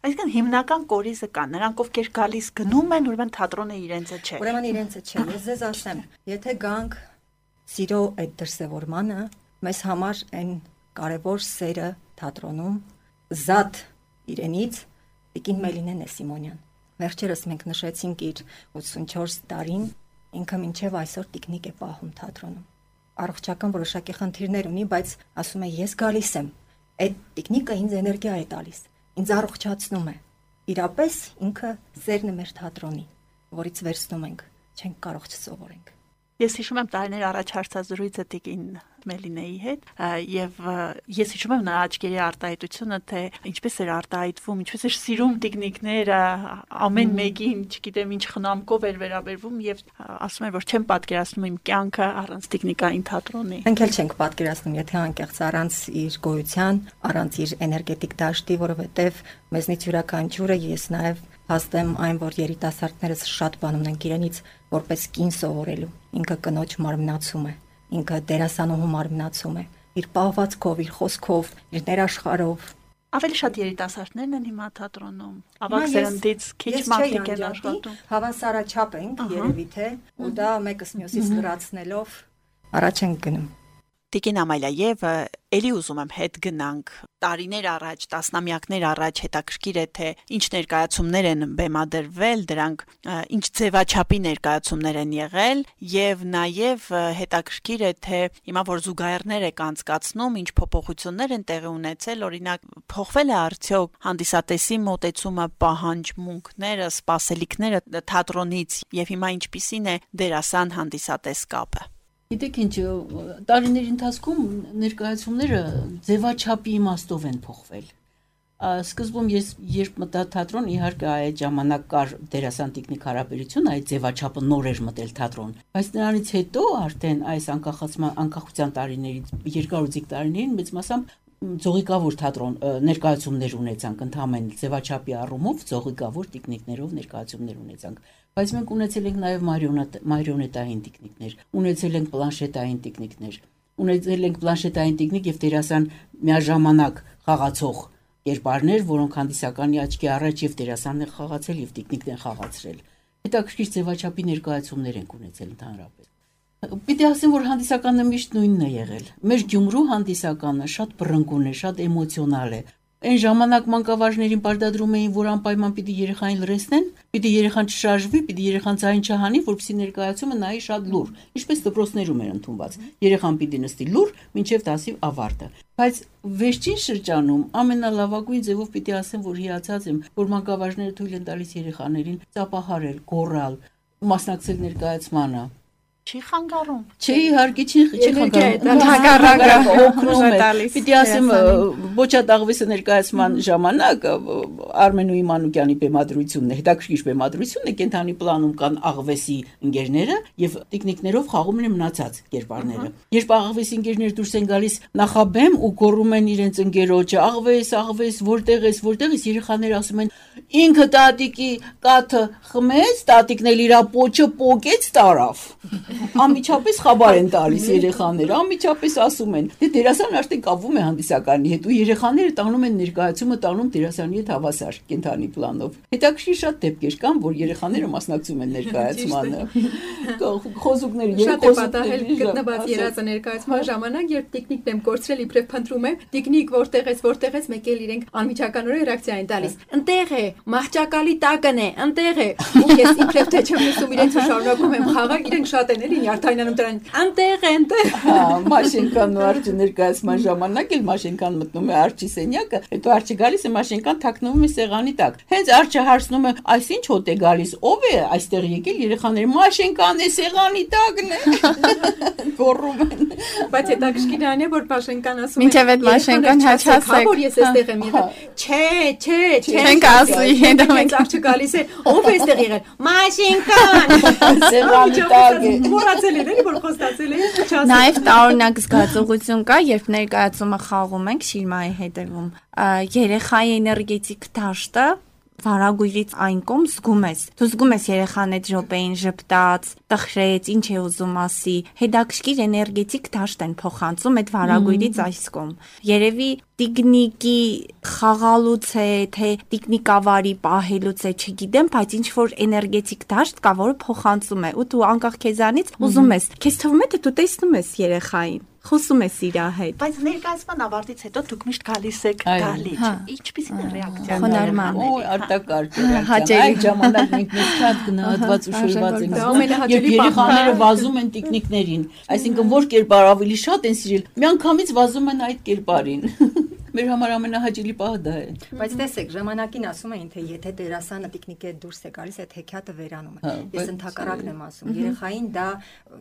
Այսինքն հիմնական կորիզը կա, նրանք ովքեր գալիս գնում են, ուրեմն թատրոնը իրենցը չէ։ Ուրեմն իրենցը չէ։ Ես ձեզ ասեմ, եթե գանք սիրո այդ դրսևորմանը, մեզ համար այն կարևոր սերը թատրոնում զատ իրենից Տիկին Մելինեն է Սիմոնյան։ Վերջերս մենք նշեցինք իր 84 տարին, ինքը մինչև այսօր տեխնիկ է պահում թատրոնում։ Առողջական որոշակի խնդիրներ ունի, բայց ասում է ես գալիս եմ։ Այդ տեխնիկը ինձ էներգիա է տալիս, ինձ առողջացնում է։ Իրապես ինքը սերն է մեր թատրոնի, որից վերցնում ենք, չենք կարող չսովորենք։ Ես հիշում եմ տարիներ առաջ հարցազրույցը Տիկին Մելինեի հետ եւ ես հիշում եմ նրա աչքերի արտահայտությունը, թե ինչպես էր արտահայտվում, ինչպես էր սիրում տիկնիկները, ամեն մեկին, չգիտեմ ինչ խնամքով էր վերաբերվում եւ ասում եմ, որ չեմ պատկերացնում իմ կյանքը առանց տիկնիկային թատրոնի։ Մենք էլ չենք պատկերացնում, եթե անկեղծ առանց իր գոյության, առանց իր էներգետիկ դաշտի, որովհետեւ մեզնից յուրաքանչյուրը ես նաեւ հաստեմ այն, որ երիտասարդներս շատ բան ունենք իրենից որպես կին սովորելու։ Ինքը կնոջ մարմնացում է, ինքը դերասանուհու մարմնացում է, իր պահվածքով, իր խոսքով, իր ներաշխարհով։ Ավելի շատ երիտասարդներն են հիմա թատրոնում։ Ավագ սերնդից քիչ մարդիկ են աշխատում։ Հավասարաչափ ենք երևի թե, ու դա մեկս մյուսից լրացնելով առաջ ենք գնում։ Տիկին Ամալիա, եւ ելի ուզում եմ հետ գնանք տարիներ առաջ, տասնամյակներ առաջ, հետաքրքիր է թե ինչ ներկայացումներ են բեմադրվել, դրանք ինչ ձևաչափի ներկայացումներ են եղել եւ նաեւ հետաքրքիր է թե հիմա որ զուգահեռներ եք անցկացնում, ինչ փոփոխություններ են տեղի ունեցել, օրինակ փոխվել է արդյոք հանդիսատեսի մոտեցումը, պահանջմունքները, սպասելիքները թատրոնից եւ հիմա ինչպիսին է դերասան հանդիսատես կապը։ Գիտեք ինչ, տարիների ընթացքում ներկայացումները ձևաչափի իմաստով են փոխվել։ Սկզբում ես երբ մտա թատրոն, իհարկե այդ ժամանակ կար դերասան տիկնիկ հարաբերություն, այդ ձևաչափը նոր էր մտել թատրոն, բայց նրանից հետո արդեն այս անկախության տարիներից, երկարուձիգ տարիներին մեծ մասամբ ձողիկավոր թատրոն ներկայացումներ ունեցանք, ընդհանրապես ձևաչափի առումով ձողիկավոր տիկնիկներով ներկայացումներ ունեցանք, բայց մենք ունեցել ենք նաև մարիոնետային տիկնիկներ, ունեցել ենք պլանշետային տիկնիկներ, ունեցել ենք պլանշետային տիկնիկ եւ դերասան միաժամանակ խաղացող կերպարներ, որոնք հանդիսականի աչքի առաջ եւ դերասանն են խաղացել եւ տիկնիկն են խաղացրել։ Հետաքրքիր ձևաչափի ներկայացումներ ենք ունեցել ընդհանրապես։ Պիտի ասեմ, որ հանդիսականը միշտ նույնն է եղել։ Մեր Գյումրու հանդիսականը շատ բռնկուն է, շատ էմոցիոնալ է։ Այն ժամանակ մանկավարժներին պարտադրում էին, որ անպայման պիտի երեխային լրացնեն, պիտի երեխան չշարժվի, պիտի երեխան ձայն չհանի, որպեսզի ներկայացումը նայի շատ լուր, ինչպես դպրոցներում էր ընդունված։ Երեխան պիտի նստի լուր, մինչև դասի ավարտը։ Բայց վերջին շրջանում ամենալավագույն ձևով պիտի ասեմ, որ հիացած եմ, որ մանկավարժները թույլ են տալիս երեխաներին ծափահարել, գոռալ, մասնակցել ներկայացմանը։ Չի խանգարում։ Չի իհարկե չի խանգարում։ Հակառակը օգնում է։ Պիտի ասեմ Բոչատաղվեսը ներկայացման ժամանակ Արմենուի Մանուկյանի բեմադրությունն է, հետաքրքիր բեմադրությունն է, կենթանի պլանում կան աղվեսի ընկերները եւ տիկնիկներով խաղում են մնացած կերպարները։ Երբ աղվեսի ընկերները դուրս են գալիս նախաբեմ ու գոռում են իրենց ընկերոջը, աղվես, որտեղ ես, երեխաները ասում են ինքը տատիկի կաթը խմեց, տատիկն էլ իր պոչը պոկեց տարավ։ Անմիջապես խաբար են տալիս երեխաները, անմիջապես ասում են, դե դերասանը արդեն կապվում է հանդիսականի հետ ու երեխաները տանում են ներկայացումը տանում դերասանի հետ հավասար կենթանի պլանով։ Հետաքրքիր շատ դեպքեր կան, որ երեխաները մասնակցում են ներկայացմանը։ Խոզուկները շատ է պատահել գտնված երազը ներկայացման ժամանակ, երբ տիկնիկն եմ կորցրել իբրև փնտրում եմ, տիկնիկ որտեղ ես, մեկ էլ իրենք անմիջականորեն ռեակցիա են տալիս։ Ընտեղ է, մահճակալի տակն է, ընտեղ է։ Ու ես իբրև թե չեմ լսում իրենց ու շարունակում եմ խաղալ, իրենք շատ են էլի յարդայնանում դրան։ Ընտեղ է, ընտեղ։ Հա, Մաշենկան ու Արջի ներկայացման ժամանակ էլ Մաշենկան մտնում է Արջի սենյակը, հետո Արջի գալիս է Մաշենկան թաքնվում է սեղանի տակ։ Հենց Արջը հարցնում է, այսինչ հոտ է գալիս, ով է այստեղ եկել, երեխաները Մաշենկան է սեղանի տակն է։ Գոռում են։ Բայց հետաքրքիր այն է, որ Մաշենկան ասում է։ Մինչև այդ Մաշենկան հաչացեք։ Որ ես այստեղ եմ եղել։ Չէ։ Չենք ասի, հետո մենք Արջը գալիս է, ով է այստեղ եղել։ Մաշենկան։ Սեղանի տակ է։ Մոռացել են, էլի որ խոստացել են, չասել։ Նաև տարօրինակ զգացողություն կա, երբ ներկայացումը խաղում ենք Շիրմայի հետևում։ Երեխայի էներգետիկ դաշտը վարագույրից այն կողմ զգում ես։ Դու զգում ես երեխան այդ րոպեին ժպտաց, տխրեց, ինչ է ուզում ասի։ Հետաքրքիր էներգետիկ դաշտ են փոխանցում այդ վարագույրից այս կողմ։ Երևի տիկնիկի խաղալուց է, թե տիկնիկավարի պահելուց է, չգիտեմ, բայց ինչ որ էներգետիկ դաշտ կա, որը փոխանցում է, ու դու անկախ քեզանից ուզում ես։ Քեզ թվում է թե դու տեսնում ես երեխային, խոսում ես իր հետ։ Բայց ներկայացման ավարտից հետո դուք միշտ գալիս եք դալիճ։ Ինչպիսին է ռեակցիան։ Խոնարհման։ Օ, արտակարգ ռեակցիա։ Այդ ժամանակ մենք մեզ շատ գնահատված ու շոյված ենք զգում։ Երբ երեխաները վազում են տիկնիկներին, այսինքն որ կերպար ավելի շատ են սիրել, միանգամից վազում են այդ կերպարին։ Մեր համար ամենահաճելի պահը դա է։ Բայց տեսեք, ժամանակին ասում էին, թե եթե դերասանը տիկնիկե դուրս է գալիս, այդ հեքիաթը վերանում է։ Ես ընդհակառակն եմ ասում, երեխային դա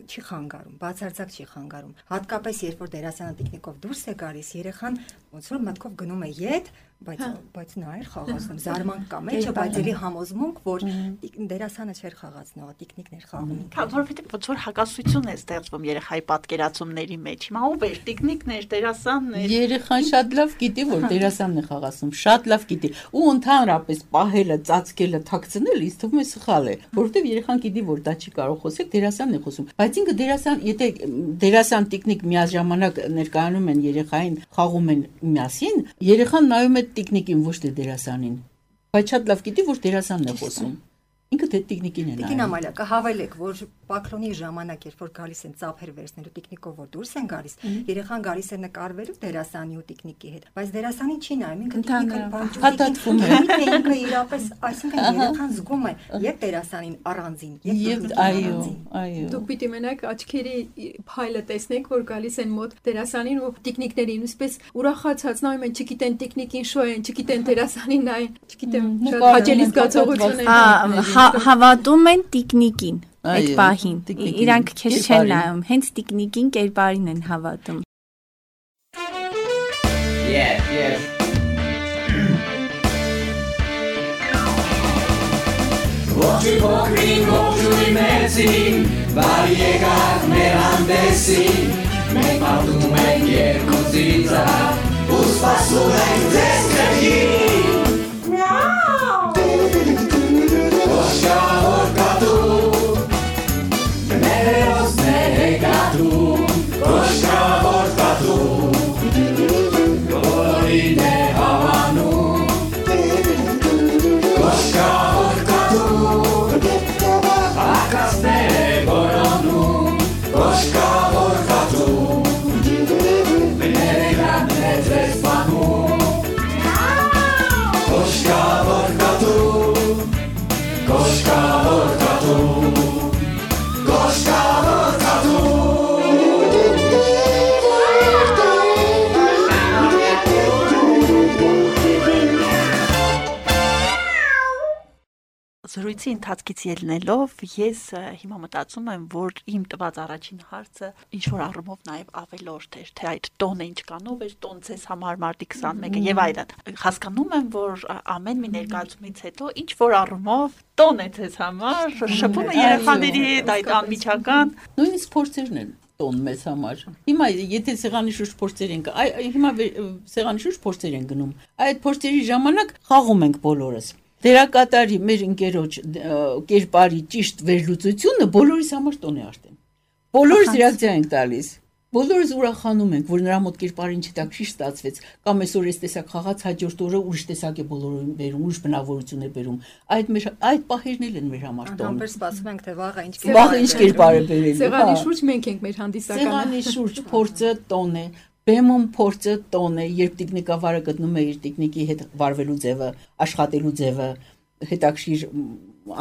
չի խանգարում, բացարձակ չի խանգարում։ Հատկապես երբ որ դերասանը տիկնիկով դուրս է գալիս, երեխան ոնց որ մտքով գնում է ետ, բայց նա էր խաղացնում, զարմանք կա մեջը, բայց էլի համոզմունք, որ դերասանը չէր խաղացնողը, տիկնիկն էր խաղում։ Որովհետեւ ոնց որ հակասություն է ստեղծվում երեխայի պատկերացումների մեջ։ Հիմա ով էր տիկնիկն էր, դերասանն էր։ Երեխան շատ լավ գիտի, որ դերասանն է խաղացնում, շատ լավ գիտի։ Ու ընդհանրապես պահելը, ծածկելը, թաքցնելը ինձ թվում է սխալ է, որովհետև երեխան գիտի, որ դա չի կարող խոսել, դերասանն է խոսում։ Բայց ինքը դերասան, եթե դերասան տիկնիկ միաժամանակ ներկայանում են երեխային, խաղում են միասին, երեխան նայում է տիկնիկին, ոչ թե դերասանին։ Բայց շատ լավ գիտի, որ դերասանն է խոսում։ Ինքը թե տիկնիկին է նայում։ Տիկին Ամալիա, կհավելեք, որ պակլոնի ժամանակ, երբ որ գալիս են ծափեր վերցնելու տիկնիկով, որ դուրս են գալիս, երեխան գալիս է նկարվելու դերասանի ու տիկնիկի հետ, բայց դերասանին չի նայում, ինքը տիկնիկը հատատվում է։ Թե ինքը իրապես, այսինքն երեխան զգում է եւ դերասանին առանձին, եւ այո։ Դուք պիտի մենակ աչքերի փայլը տեսնեք, որ գալիս են մոտ դերասանին ու տիկնիկներին, ինչպես ուրախացած նայում են, չգիտեն տիկնիկին շո են, չգիտեն դերասանին նայեն, չգիտեմ, շատ հաճելի զգացողություն է։ Հավատում են տիկնիկին այդ պահին։ Իրանք քեզ չեն նայում, հենց տիկնիկին կերպարին են հավատում։ Ողջույն փոքրին, ողջույն մեծին, բարի եկաք մեր հանդեսին, մենք պատում ենք երկու ծիծաղ, ու սպասում ենք ձեզ ներքին։ Կոշկավոր կատու, մեր հերոսներ է կատու, կոշկավոր կատու, բոլորին է հավանում, կոշկավոր կատու, ակասներ է որոնում, կոշկավոր կատու, ներեգան է ձեզ պանում, կոշկավոր կատու, Կոշկավոր կատու, կոշկավոր կատու։ Զրույցի ընթացքից ելնելով ես հիմա մտածում եմ, որ իմ տված առաջին հարցը ինչ որ առումով նաև ավելորդ էր, թե այդ տոնը ինչ կանով էր, տոն ցես համար մարտի 21-ը եւ այլն։ Հասկանում եմ, որ ամեն մի ներկայացումից հետո ինչ որ առումով տոն է ցես համար, շփումը երեխաների հետ, այդ անմիջական, նույնիսկ փորձերն են տոն մեզ համար։ Հիմա եթե սեղանի շուրջ փորձեր ենք, հիմա սեղանի շուրջ փորձեր են գնում։ Այդ փորձերի ժամանակ խաղում ենք բոլորս։ Դերակատարի մեր ընկերոջ կերպարի ճիշտ վերլուծությունը բոլորիս համար տոն է արդեն։ Բոլորս ռեակցիա ենք տալիս։ Բոլորս ուրախանում ենք, որ նրա մոտ կերպարին չտակշի ստացվեց, կամ այսօր այս տեսակ խաղաց, հաջորդ օրը ուրիշ տեսակ է բոլորին բերում, ուրիշ բնավորություն է բերում։ Այդ պահերն են մեր համար տոն։ Անհամբեր սպասում ենք, թե վաղը ինչ կերպար է բերելու։ Սեղանի շուրջ մենք ենք մեր հանդիսականը։ Սեղանի շուրջ փորձը տոն է։ Բեմում փորձը տոն է, երբ տիկնիկավարը գտնում է իր տիկնիկի հետ վարվելու ձևը, աշխատելու ձևը, հետաքրիր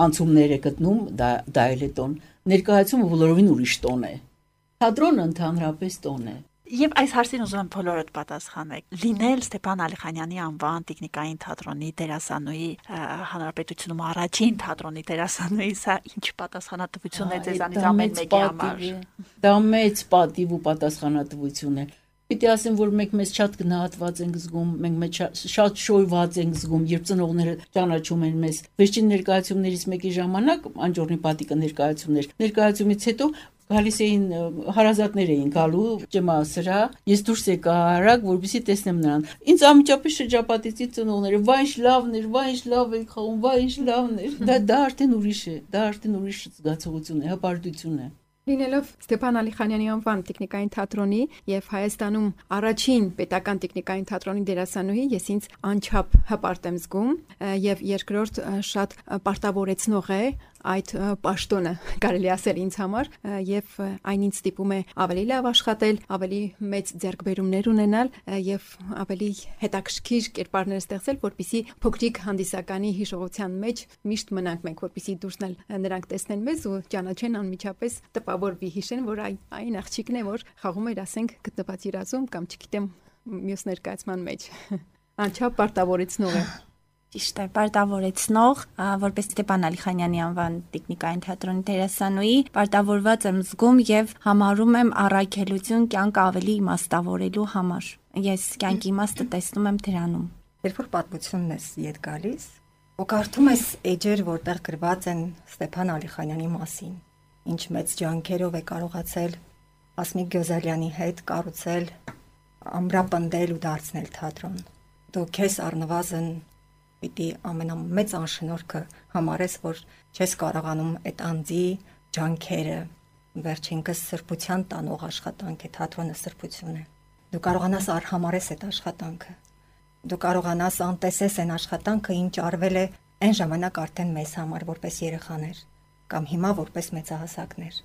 անցումներ է գտնում, դա էլ է տոն։ Ներկայացումը բոլորովին ուրիշ տոն է։ Թատրոնը ընդհանրապես տոն է։ Եվ այս հարցին ուզում եմ բոլորդ պատասխանեք։ Լինել Ստեփան Ալիխանյանի անվան տեխնիկային թատրոնի դերասանուհի, հանրապետությունում առաջին թատրոնի դերասանուհի, սա ինչ պատասխանատվություն է ձեզանից ամեն մեկի համար։ Դա մեծ պատիվ ու պատասխանատվություն է։ Պիտի ասեմ, որ մենք մեզ շատ գնահատված ենք զգում, մենք մեզ շատ շոյված ենք զգում, երբ ծնողները ճանաչում են մեզ։ Վերջին ներկայացումներից մեկի ժամանակ անջորնի պատիկը ներկայացումից հետո գալիս էին հարազատներ էին գալու ջմասրա, ես դուրս եկա արագ, որպեսզի տեսնեմ նրան։ Ինձ անմիջապես շրջապատեցի ծնողները, վայ ինչ լավն էր, վայ ինչ լավ եք խաղում, վայ ինչ լավն էր։ Դա արդեն ուրիշ է, դա արդեն ուրիշ զգացողություն է, հպարտություն է։ Լինելով Ստեփան Ալիխանյանի անվան տեխնիկային թատրոնի եւ Հայաստանում առաջին պետական տեխնիկային թատրոնի դերասանուհի, ես ինձ անչափ հպարտ եմ զգում եւ երկրորդ շատ պարտավորեցնող է այդ պաշտոնը, կարելի ասել ինձ համար, եւ այն ինձ ստիպում է ավելի լավ աշխատել, ավելի մեծ ձեռքբերումներ ունենալ եւ ավելի հետաքրքիր կերպարներ ստեղծել, որպեսզի փոքրիկ հանդիսականի հիշողության մեջ միշտ մնանք մենք, որպեսզի դուրսն նրանք տեսնեն մեզ ու ճանաչեն անմիջապես, տպավորվի, հիշեն, որ այն աղջիկն է, որ խաղում էր, ասենք, գտնված երազում կամ չգիտեմ մյուս ներկայացման մեջ։ Անչափ պարտավորեցնող է։ Ճիշտ է, պարտավորեցնող, որպես Ստեփան Ալիխանյանի անվան տեխնիկային թատրոնի դերասանուհի, պարտավորված եմ զգում եւ համարում եմ առաքելություն կյանք ավելի իմաստավորելու համար։ Ես կյանքի իմաստը տեսնում եմ դրանում։ Երբ որ պատմությունն ես իդ գալիս, ու կարդում ես էջեր, որտեղ գրված են Ստեփան Ալիխանյանի մասին, ինչ մեծ ջանքերով է կարողացել Հասմիկ Գյոզալյանի հետ կառուցել, ամրապնդել ու դարձնել թատրոն։ Դու քեզ առնվազն պիտի ամենամեծ անշնորհքը համարես, որ չես կարողանում այդ անձի ջանքերը վերջինքս սրբության տանող աշխատանք է, թատրոնը սրբություն է։ Դու կարողանաս արհամարես այդ աշխատանքը։ Դու կարողանաս անտեսես այն աշխատանքը, ինչ արվել է այն ժամանակ արդեն մեզ համար որպես երեխաներ կամ հիմա որպես մեծահասակներ։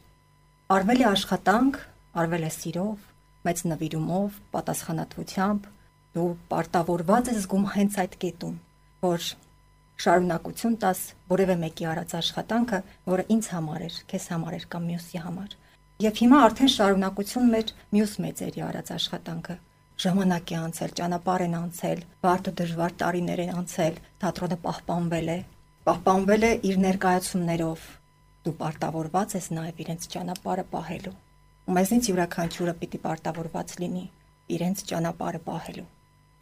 Արվել է աշխատանք, արվել է սիրով, մեծ նվիրումով, պատասխանատվությամբ, դու պարտավորված ես զգում հենց այդ կետում, որ շարունակություն տաս որևէ մեկի արած աշխատանքը, որը ինձ համար էր, քեզ համար էր կամ մյուսի համար։ Եվ հիմա արդեն շարունակություն մեր մյուս մեծերի արած աշխատանքը։ Ժամանակ է անցել, ճանապարհ են անցել, բարդ ու դժվար տարիներ են անցել, թատրոնը պահպանվել է իր ներկայացումներով։ Դու պարտավորված ես նաև իրենց ճանապարհը պահելու։ Ու մեզնից յուրաքանչյուրը պիտի պարտավորված լինի իրենց ճանապարհը պահելու։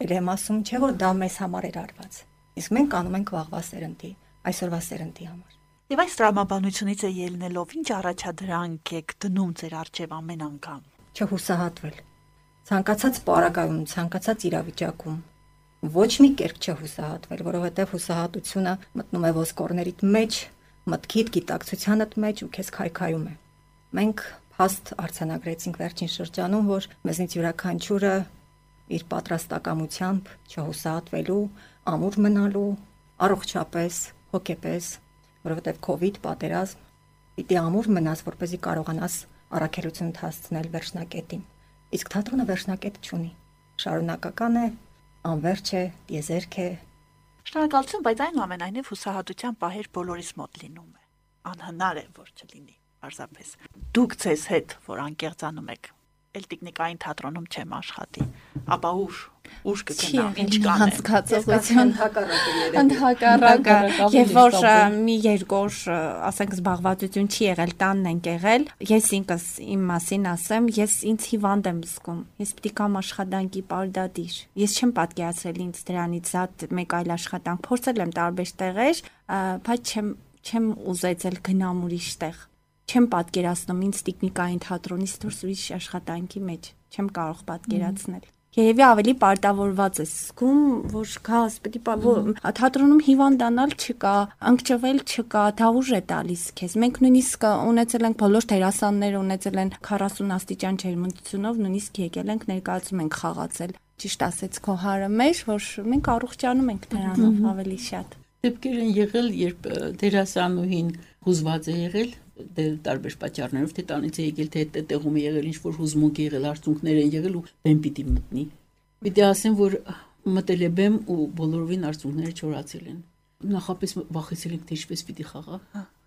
Էլ եմ ասում, չէ՞ որ դա մեզ համար էր արված։ Իսկ մենք անում ենք վաղվա սերնդի, այսօրվա սերնդի համար։ Եվ այս տրամաբանությունից է ելնելով, ինչ առաջադրանք եք դնում ձեր առջև ամեն անգամ։ Չհուսահատվել։ Ցանկացած պարագայում, ցանկացած իրավիճակում ոչ մի կերպ չհուսահատվել, որովհետև հուսահատությունը մտնում է ոսկորներիդ մեջ, մտքիդ, գիտակցությանդ մեջ ու քեզ քայքայում է։ Մենք փաստ արձանագրեցինք վերջին շրջանում, որ մեզնից յուրաքանչյուրը իր պատրաստակամությամբ չհուսահատվելու, ամուր մնալու, առողջապես, հոգեպես, որովհետև COVID պատերազմ, պիտի ամուր մնաս, որպեսզի կարողանաս առաքելություն հասցնել վերջնակետին։ Իսկ թատրոնը վերջնակետ չունի։ Շարունակական է, անվերջ է, դիեզերք է։ Շնորհակալություն, բայց այնուամենայնիվ հուսահատության պահեր բոլորիս մոտ լինում է։ Անհնար է, որ չլինի, պարզապես։ Դուք ձեզ հետ, որ անկեղծանում եք, էլ տեխնիկային թատրոնում չեմ աշխատի, ապա ուշ կգնամ, ինչ կանեմ։ Հասկացողություն ընդհակառակը, եւ որ մի երկու, ասենք զբաղվածություն չի եղել, տանն ենք եղել, ես ինքս իմ մասին ասեմ, ես ինձ հիվանդ եմ զգում, ես պիտի կամ աշխատանքի պարտադիր, ես չեմ պատկերացրել ինձ դրանից զատ մեկ այլ աշխատանք, փորձել եմ տարբեր տեղեր, բայց չեմ ուզեցել գնամ ուրիշ տեղ, չեմ պատկերացնում ինձ տեխնիկային թատրոնից դուրս ուրիշ աշխատանքի մեջ, չեմ կարող պատկերացնել։ Երևի ավելի պարտավորված ես զգում, որ գաս, պետք է թատրոնում հիվանդանալ չկա, անկճվել չկա, դա ուժ է տալիս քեզ։ Մենք նույնիսկ ունեցել ենք բոլոր դերասանները ունեցել են 40 աստիճան ջերմությունով, նույնիսկ եկել ենք ներկայացում ենք խաղացել։ Ճիշտ ասեց քո հարը մեջ, որ մենք առողջանում ենք դրանով ավելի շատ։ Դեպքեր են եղել, երբ դերասանուհին հուզված է եղել, տարբեր պատճառներով, թե տանից է եկել, թե տեղում է եղել, ինչ որ հուզմունք է եղել, արցունքներ են եղել ու բեմ պիտի մտնի։ Պիտի ասեմ, որ մտել է բեմ ու բոլորովին արցունքները չորացել են։ Նախապես վախեցել ենք, թե ինչպես պիտի խաղա։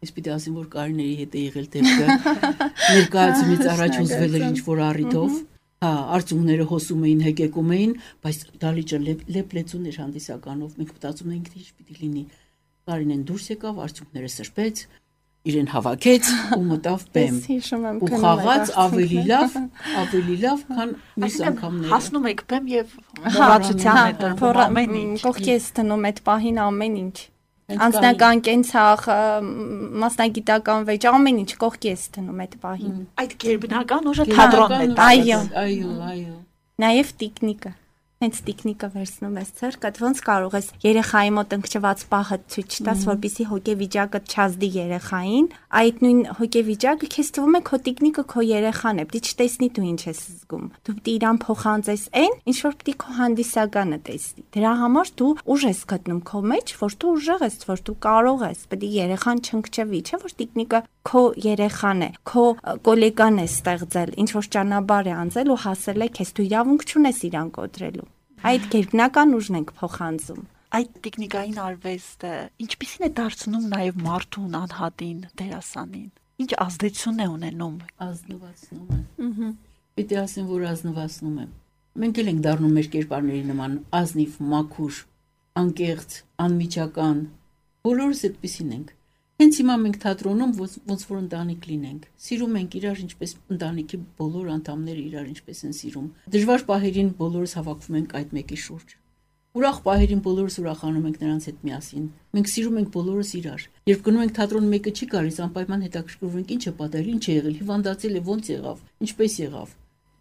Ես պիտի ասեմ, որ Կարինեի հետ է եղել դեպքը։ Ներկայացումից առաջ հուզվել էր ինչ որ առիթով։ Արցունքները հոսում էին, հեկեկում էին, բայց դալիճը լեփլեցուն էր հանդիսականով։ Մենք մտածում էինք, թե ինչ պիտի լինի։ Կարինեն դուրս եկավ, արցունքները սրբեց, իրեն հավաքեց ու մտավ բեմ։ Ու խաղաց ավելի լավ, քան մյուս անգամները։ Հասնում եք բեմ եւ մոռացության է տրվում ամեն ինչ։ Կողքի ես տնում այդ պահին ամեն ինչ։ Անձնական կենցաղ, մասնագիտական վեճ, ամեն ինչ կողքի ես տնում այդ պահին։ Այդ գերբնական ուժը թատրոնն է։ Այո։ Նաև տեխնիկա։ Հենց տեխնիկա վերցնում ես ցերկդ, ոնց կարող ես երեխայի մոտ ընկճված պահը ցույց տաս, որպեսզի հոգեվիճակը չազդի երեխային, այդ նույն հոգեվիճակը քեզ թվում է քո տեխնիկը քո երեխան է, պիտի չտեսնի դու ինչ ես զգում։ Դու պիտի իրան փոխանցես այն, ինչ որ պիտի քո հանդիսականը տեսնի։ Դրա համար դու ուժ ես գտնում քո մեջ, որ դու ուժեղ ես, որ դու կարող ես, պիտի երեխան չընկճվի, չէ՞ որ տեխնիկը քո երեխան է, քո գոլեգան է ստեղծել, ինչ որ ճանապարհ է անցել ու հասել է քեզ, դու իրավունք չունես իրան կոտրելու։ Այդ գերբնական ուժն ենք փոխանցում։ Այդ տեխնիկային արվեստը ինչպիսին է դարձնում նաև մարդուն, անհատին, դերասանին։ Ինչ ազդեցություն է ունենում։ Ազնվացնում է։ Պիտի ասեմ, որ ազնվացնում է։ Մենք էլ ենք դառնում մեր կերպարների նման ազնիվ, մաքուր, անկեղծ, անմիջական, բոլորս այդպեսին ենք։ Հենց հիմա մենք թատրոնում ոնց որ ընտանիք լինենք, սիրում ենք իրար ինչպես ընտանիքի բոլոր անդամները իրար ինչպես են սիրում։ Դժվար պահերին բոլորս հավաքվում ենք այդ մեկի շուրջ։ Ուրախ պահերին բոլորս ուրախանում ենք նրանց հետ միասին։ Մենք սիրում ենք բոլորս իրար։ Երբ գնում ենք թատրոն մեկը չի գալիս, անպայման հետաքրքրվում ենք ինչ է պատահել, ինչ է եղել, հիվանդացել է, ոնց եղավ, ինչպես եղավ։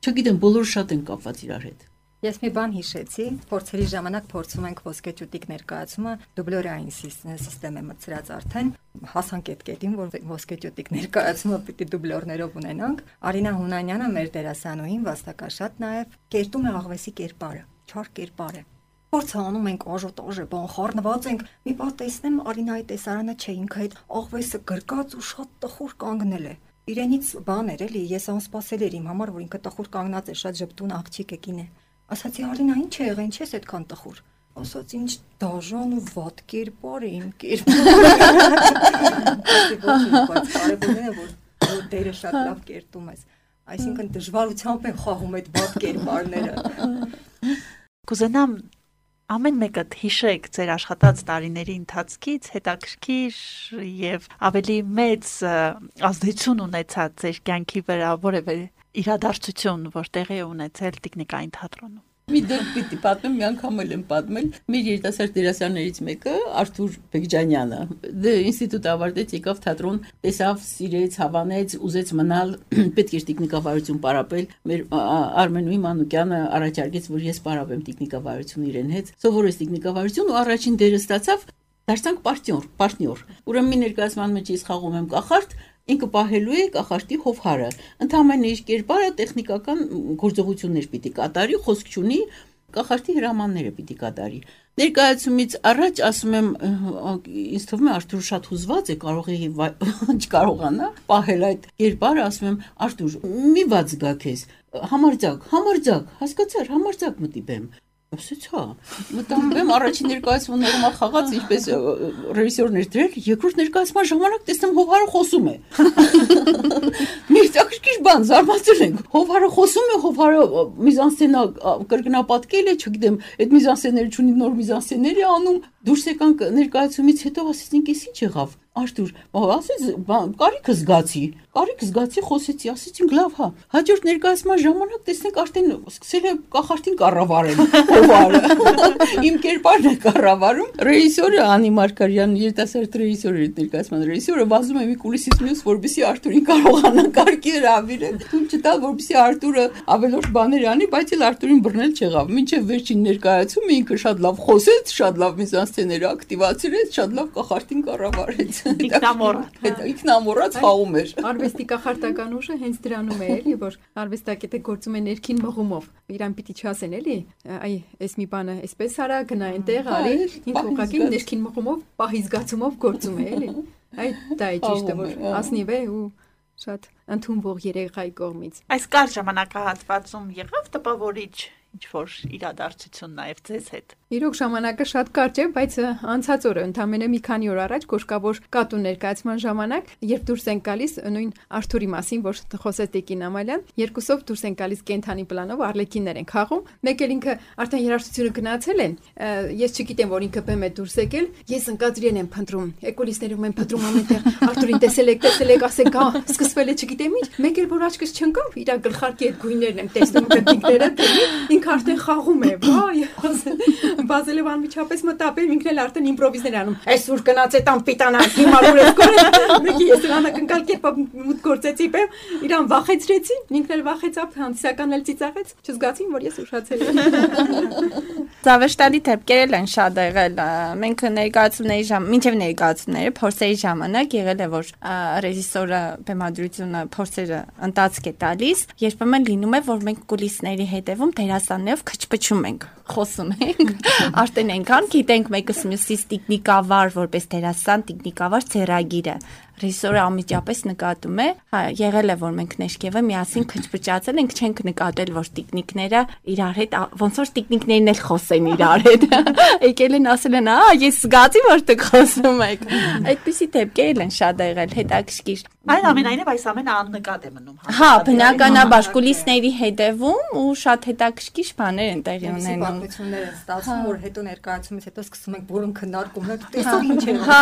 Չգիտեմ, բոլորը շատ են կապված իրար հետ։ Ես մի բան հիշեցի, փորձերի ժամանակ փորձում ենք ոսկեճուտիկ ներկայացումը դուբլորային սիստեմ է մտցրած արդեն, հասանք այդ կետին, որ ոսկեճուտիկ ներկայացումը պիտի դուբլորներով ունենանք։ Արինա Հունանյանը, մեր դերասանուհին, վաստակաշատ նաև կերտում է աղվեսի կերպարը, չար կերպար է։ Փորձ անում ենք աժոտաժ է, բան խառնված ենք։ Մի բան տեսնեմ Արինայի տեսարանը չէ, ինքը այդ աղվեսը գրկած ու շատ տխուր կանգնել է։ Իրենից բան էր էլի, ես անսպասել էր իմ համար, որ ինքը տխուր կանգնած է, շատ ժպտուն աղջիկ է կին է։ Ասացի Արինա, ինչ է եղել, ինչ ես այդքան տխուր։ Ասաց ինչ դաժան ու վատ կերպար է իմ կերպարը։ Որ դերը շատ լավ կերտում ես։ Այսինքն դժվարությամբ են խաղում այդ վատ կերպարները։ Կուզենամ ամեն մեկդ հիշեք ձեր աշխատած տարիների ընթացքից հետաքրքիր եւ ավելի մեծ ազդեցություն ունեցած ձեր կյանքի վրա որևէ իրադարձություն, որ տեղի է ունեցել տեխնիկային թատրոնում։ Մի դեպք պիտի պատմեմ, մի անգամ էլ եմ պատմել։ Մեր երիտասարդ դերասաններից մեկը Արթուր Բեկջանյանը ինստիտուտ ավարտեց, եկավ թատրոն, տեսավ, սիրեց, հավանեց, ուզեց մնալ, պետք էր տեխնիկավարություն պարապել։ Մեր Արմենուհի Մանուկյանը առաջարկեց, որ ես պարապեմ տեխնիկավարություն իրեն հետ։ Սովորեց տեխնիկավարություն ու առաջին դերը ստացավ, դարձանք պարտնյոր։ Ուրեմն մի ներկայացման մեջ ես խաղում եմ կախարդ, ինքը պահելու է կախարդի հովհարը։ Ընդհանրապես իր կերպարը տեխնիկական գործողություններ պիտի կատարի, խոսք չունի, կախարդի հրամանները պիտի կատարի։ Ներկայացումից առաջ ասում եմ, ինձ թվում է Արթուր շատ հուզված է, կարող է չկարողանա պահել այդ կերպարը, ասում եմ Արթուր, մի վաց գա քեզ, համարձակ, հասկացար, համարձակ մտիպեմ։ Ասեց հա, մտանեմ առաջին ներկայացումը նորմալ խաղաց, ինչպես ռեժիսորն էր դրել, երկրորդ ներկայացման ժամանակ տեսնում Հովհարը խոսում է։ Մի հետաքրքիր բան, զարմացել ենք։ Հովհարը խոսում է, Հովհարը միզանսցենա կրկնապատկել է, չգիտեմ, այդ միզանսցեները չունի, նոր միզանսցեներ է անում։ Դուրս եկանք ներկայացումից հետո ասեցինք, «Էս ինչ եղավ»։ Արթուր, ասեց, կարիք զգացի, խոսեցի, ասեցինք, լավ, հա։ Հաջորդ ներկայացման ժամանակ տեսնենք արդեն սկսել է կախարդին կառավարել Հովարը։ Իմ կերպարն է կառավարում։ Ռեժիսորը Անի Մարգարյան, երիտասարդ ռեժիսորը, ներկայացման ռեժիսորը վազում է մի կուլիսից մյուս, որպեսզի Արթուրին կարողանա կարգի հրավիրել։ Թույլ չտալ, որպեսզի Արթուրը ավելորդ բաներ անի, բայց էլ Արթուրին բռնել չեղավ։ Մինչև վերջին ներկայացումը ինքը շատ լավ խոսեց, շատ լավ միզանսցեները ակտիվացրեց, շատ լավ կախարդին կառավարեց։ Ինքնամոռաց խաղում էր։ Արվեստի կախարդական ուժը հենց դրանում է, էլի, որ արվեստագետը գործում է ներքին մղումով։ Իրան պիտի չասեն, էլի, այ, էս մի բանը, էսպես արա, գնա այնտեղ, արի, ինքը ուղղակի ներքին մղումով, պահի զգացումով գործում է, էլի։ Այդ դա է ճիշտը, որ ասնիվ է ու շատ ընդունվող երեխայի կողմից։ Այս կարճ ժամանակահատվածում եղավ տպավորիչ ինչ որ իրադարձություն նաև ձեզ հետ։ Իրոք ժամանակը շատ կարճ է, բայց անցած օրը ընդամենը մի քանի օր առաջ Կոշկավոր կատու ներկայացման ժամանակ, երբ դուրս են գալիս նույն Արթուրի մասին, որ խոսեց Տիկին Ամալյան, երկուսով դուրս են գալիս կենթանի պլանով արլեկիններ են խաղում։ Մեկ էլ ինքը արդեն երաժշտությունը գնացել են։ Ես չգիտեմ, որ ինքը բեմ է դուրս եկել։ Ես ընկածրին եմ փնտրում։ Էկոլիստներում են փնտրում ամենտեղ։ Արթուրին տեսել եք, ասեք, հա, սկսվել է չգիտեմ ինչ։ Մեկ էլ որ աչքս չընկավ, իր գլխարկի այդ գույներն եմ տեսնում կտիկները, ինքը արդեն խաղում է, վայ, Բազելև անմիջապես մտապել, ինքն էլ արդեն իմպրովիզներ անում։ Այսօր գնաց այդ անպիտանան, հիմա ուրես կորեց։ Մեկի ես անակնկալ կերպով մուտ գործեցի, իրան վախեցրեցի, ինքն էլ վախեցավ, հանդիսականն էլ ծիծաղեց, չզգացին, որ ես ուշացել եմ։ Զավեշտալի դեպքեր են շատ եղել։ Մենք մինչև ներկայացումները փորձերի ժամանակ եղել է, որ ռեժիսորը բեմադրությունը փորձերը ընթացք է տալիս, երբեմն լինում է, որ մենք կուլիսների հետևում դերասաններով քչփչում ենք, խոսում ենք, արդեն այնքան գիտենք մեկս մյուսից տեխնիկավար, որպես դերասան տեխնիկավար ցերագիրը, ռեժիսորը անմիջապես նկատում է, հա, եղել է որ մենք Նեշկևը միասին քչփճացել ենք, չենք նկատել որ տիկնիկները իրար հետ ոնց որ տիկնիկներն էլ խոսեն իրար հետ։ Եկել են ասել են, ես զգացի որ դուք խոսում եք։ Այդպիսի դեպքեր են շատ եղել, հետաքրքիր։ Այնուամենայնիվ այս ամենը աննկատ է մնում։ Հա, բնականաբար կուլիսների հետևում ու շատ հետաքրքիր բաներ են տեղի ունենում։ Պատմություններ են ստացվում, որ հետո ներկայացումից հետո սկսում ենք որն քննարկումներ, տեսող ինչ է։ Հա,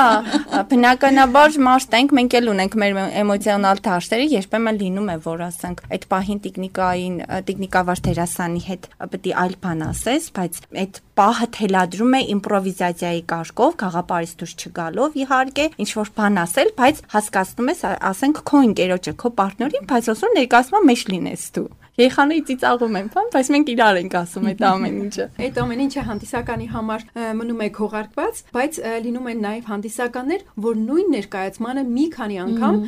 բնականաբար մարդ ենք, մենք էլ ունենք մեր էմոցիոնալ դաշտերը, երբեմն լինում է, որ ասենք այդ պահին տեխնիկավար դերասանի հետ պետք է այլ բան ասես, բայց այդ պահը թելադրում է իմպրովիզացիայի կարգով, գաղափարից դուրս չգալով իհարկե, ինչ որ բան ասել, բայց հասկացնում ես, ասենք քո ընկերոջը, քո պարտներին, բայց ոսոր ներկայացման մեջ լինես դու։ Երեխաների ծիծաղում են, բայց մենք իրար ենք ասում այդ ամեն ինչը։ Այդ ամեն ինչը հանդիսականի համար մնում է քողարկված, բայց լինում են նաև հանդիսականներ, որ նույն ներկայացմանը մի քանի անգամ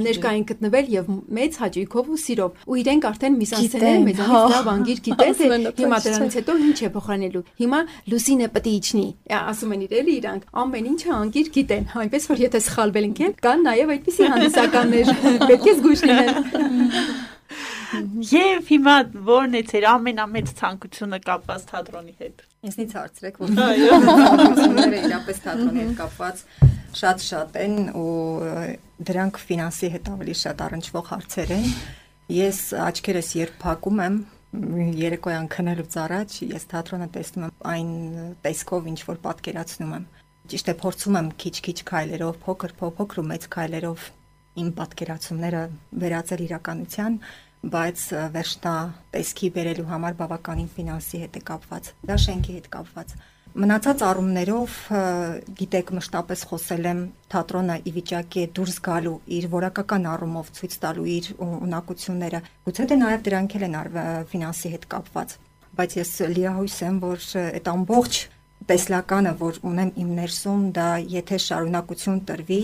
ներկա են գտնվել եւ մեծ հաճույքով ու սիրով։ Ու իրենք արդեն միսանսցեները մեզանից լավ անգիր գիտեն, թե հիմա դրանից հետո ինչ է փոխանելու։ Հիմա Լուսինը պետք է իջնի։ Ասում են իրել իրանք ամեն ինչը անգիր գիտեն, այնպես որ եթե սխալվել ենք, կան նաև այդպիսի հանդիսականներ, պետք է զգույշ լինեն։ Եվ հիմա ո՞րն է ձեր ամենամեծ ցանկությունը կապված թատրոնի հետ։ Ինձնից հարցրեք, որ ցանկությունները իրապես թատրոնի հետ կապված շատ են ու դրանք ֆինանսի հետ ավելի շատ առնչվող հարցեր են։ Ես աչքերս երբ փակում եմ երեկոյան քնելուց առաջ, ես թատրոնը տեսնում եմ այն տեսքով, ինչ որ պատկերացնում եմ։ Ճիշտ է, փորձում եմ քիչ-քիչ քայլերով, փոքր ու մեծ քայլերով իմ պատկերացումները վերածել իրականության, բայց վերջնա տեսքի բերելու համար բավականին ֆինանսի հետ է կապված, դա շենքի հետ կապված։ Մնացած առումներով, գիտեք, մշտապես խոսել եմ, թատրոնը ի վիճակի է դուրս գալու իր որակական առումով ցույց տալու իր ունակությունները, գուցե թե նաև դրանք էլ են ֆինանսի հետ կապված, բայց ես լիահույս եմ, որ այդ ամբողջ տեսլականը, որ ունեմ իմ ներսում, դա եթե շարունակություն տրվի,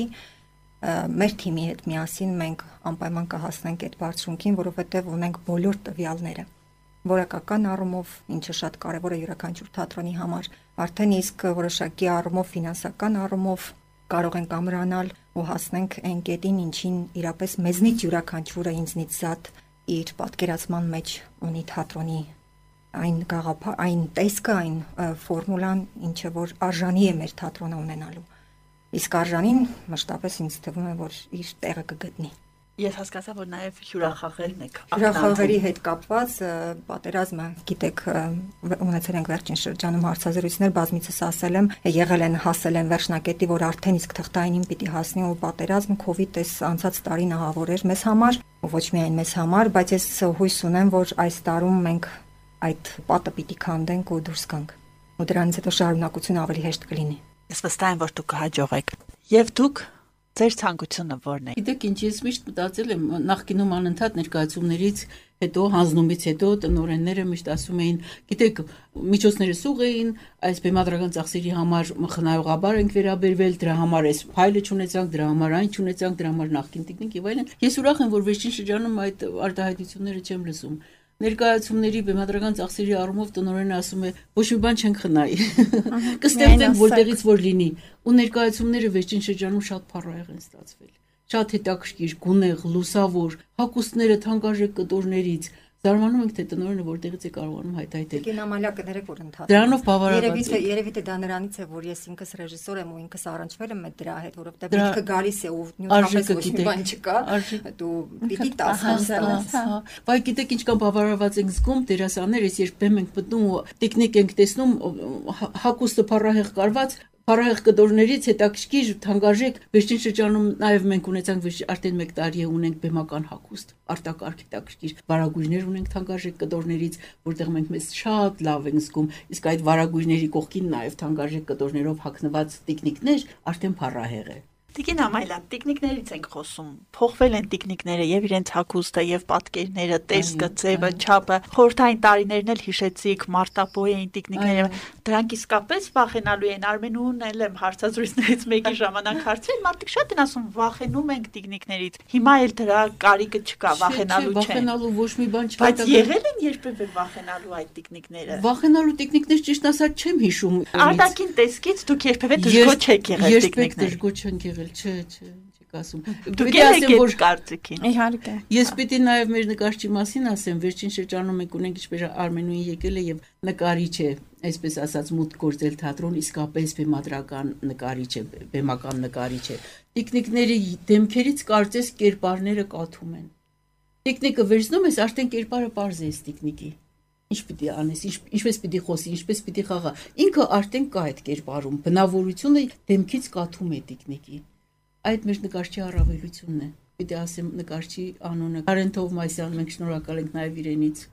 մեր թիմի հետ միասին մենք անպայման կհասնենք այդ բարձրունքին, որովհետև ունենք բոլոր տվյալները։ Որակական առումով, ինչը շատ կարևոր է յուրաքանչյուր թատրոնի համար, արդեն իսկ որոշակի առումով, ֆինանսական առումով կարող ենք ամրանալ ու հասնենք այն կետին, ինչին իրապես մեզնից յուրաքանչյուրը ինձնից զատ իր պատկերացման մեջ ունի թատրոնի այն գաղափար, այն տեսքը, այն ֆորմուլան, ինչը որ արժանի է մեր թատրոնը ունենալու։ Իսկ արժանին մշտապես ինձ թվում է, որ իր տեղը կգտնի։ Ես հասկացա, որ նաև հյուրախաղերն եք։ Հյուրախաղերի հետ կապված պատերազմը, գիտեք, ունեցել ենք վերջին շրջանում հարցազրույցներ, բազմիցս ասել եմ, եղել են, հասել են վերջնակետի, որ արդեն իսկ թղթայինին պիտի հասնի ու պատերազմ, COVID էս անցած տարին ահավոր էր մեզ համար, ոչ միայն մեզ համար, բայց ես հույս ունեմ, որ այս տարում մենք այդ պատը պիտի քանդենք ու դուրս գանք։ Ու դրանից հետո շարունակությունը ավելի հեշտ կլինի։ Ես վստահ եմ, որ դուք կհաջողեք։ Եվ դուք ձեր ցանկությունը ո՞րն է։ Գիտեք, ինչ ես միշտ մտածել եմ նախկինում անընդհատ ներկայացումներից հետո հանձնումից հետո տնօրենները միշտ ասում էին, գիտեք, միջոցները սուղ էին, այս բեմադրական ծախսերի համար խնայողաբար ենք վերաբերվել, դրա համար այս ֆայլը չունեցանք, դրա համար այն չունեցանք, դրա համար նախկին տեխնիկ եւ այլն։ Ես ուրախ եմ, որ վերջին շրջանում այդ արտահայտությունները չեմ լսում։ Ներկայացումների բեմադրական ծախսերի առումով տնօրենը ասում է, ոչ մի բան չենք խնայի։ Կստեղծենք որտեղից որ լինի։ Ու ներկայացումները վերջին շրջանում շատ փառահեղ են ստացվել։ Շատ հետաքրքիր, գունեղ, լուսավոր, հագուստները թանկարժեք կտորներից։ Զարմանում ենք, թե տնօրենը որտեղից է կարողանում հայտարարել։ Կինոմալիա կներեք, որ ընդհանրապես։ Դրանով բավարարված է։ Երևի թե դա նրանից է, որ ես ինքս ռեժիսոր եմ ու ինքս առնչվել եմ դրա հետ, որովհետև ինքը գալիս է ու նույնապես ոչ մի բան չկա, դու պիտի տասնած։ Բայց գիտեք ինչ կան բավարարված ենք զգում դերասաններ, ես երբեմն ենք մտնում ու տեխնիկ ենք տեսնում, հագուստը փառահեղ կարված Փառահեղ կտորներից հետաքրքիր թանկարժեք վերջին շրջանում նաև մենք ունեցանք արդեն 1 տարի է ունենք բեմական հագուստ արտակարգ հետաքրքիր վարագույրներ ունենք թանկարժեք կտորներից որտեղ մենք մեզ շատ լավ ենք զգում իսկ այդ վարագույրների կողքին նաև թանկարժեք կտորներով հագնված տեխնիկներ արդեն փառահեղ է Տիկին Ամայլյան, տեխնիկներից ենք խոսում, փոխվել են տեխնիկները եւ իրենց հագուստը եւ պատկերները, տեսքը, ձևը, չափը, խորհրդային տարիներն էլ հիշեցիք, մարտապոյ էին տեխնիկները, դրանք իսկապես վախենալու են, Արմենուն էլ եմ հարցազրույցներից մեկի ժամանակ հարցրել, մարդիկ շատ են ասում վախենում ենք տեխնիկներից, հիմա էլ դրա կարիքը չկա, վախենալու չէ։ Վախենալու ոչ մի բան չկա։ Բայց եղել են երբևէ վախենալու այդ տեխնիկները։ Վախենալու տեխնիկներ ճիշտ ասած չեմ հիշում։ Արտաքին տեսքից դուք երբևէ դժգոհ չեք եղել տեխնիկների։ Դժգոհ չենք եղել, չէ։ ասում։ Դուք եք որ կարծիքին։ Իհարկե։ Ես պիտի նաև մեր նկարչի մասին ասեմ, վերջին շրջանում մենք ունենք ինչպես Արմենուին եկել է եւ նկարիչ է, այսպես ասած մուտք գործել թատրոն, իսկապես բեմադրական նկարիչ է, բեմական նկարիչ է։ Տիկնիկների դեմքերից կարծես կերպարները կաթում են։ Տիկնիկը վերցնում ես, արդեն կերպարը པարզ է տիկնիկի։ Ինչ պիտի անես, ինչպես պիտի խոսի, ինչպես պիտի խաղա։ Ինքը արդեն կա այդ կերպարում, բնավորությունը դեմքից կաթում է տիկնիկի։ Այդ մեր նկարչի առավելությունն է։ Պիտի ասեմ նկարչի անունը Կարեն Թովմասյան, մենք շնորհակալ ենք նաև իրենից,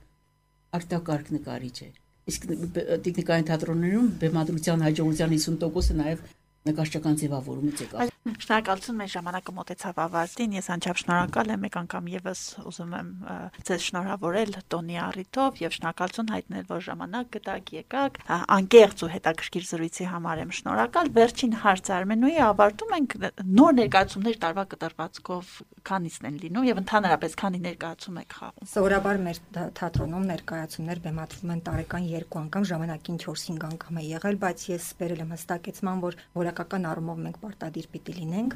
արտակարգ նկարիչ է։ Իսկ տիկնիկային թատրոններում բեմադրության հաջողության 50%-ը նաև նկարչական ձևավորումից է կա։ Շնորհակալություն, մեր ժամանակը մոտեցավ ավարտին։ Ես անչափ շնորհակալ եմ, մեկ անգամ եւս ուզում եմ ձեզ շնորհավորել տոնի առիթով եւ շնորհակալություն հայտնել, որ ժամանակ գտաք, եկաք։ Անկեղծ ու հետաքրքիր զրույցի համար եմ շնորհակալ։ Վերջին հարց Արմենուի ավարտում ենք նոր ներկայացումներ տարվա կտրվածքով քանիսն են լինում եւ ընդհանրապես քանի ներկայացում եք խաղում։ Սովորաբար մեր թատրոնում ներկայացումներ բեմադրվում են տարեկան 2 անգամ, ժամանակին 4-5 անգամ է եղել, բայց ես բերել եմ հստակեցման, որ որակական առումով մենք պարտադիր պիտի լինենք,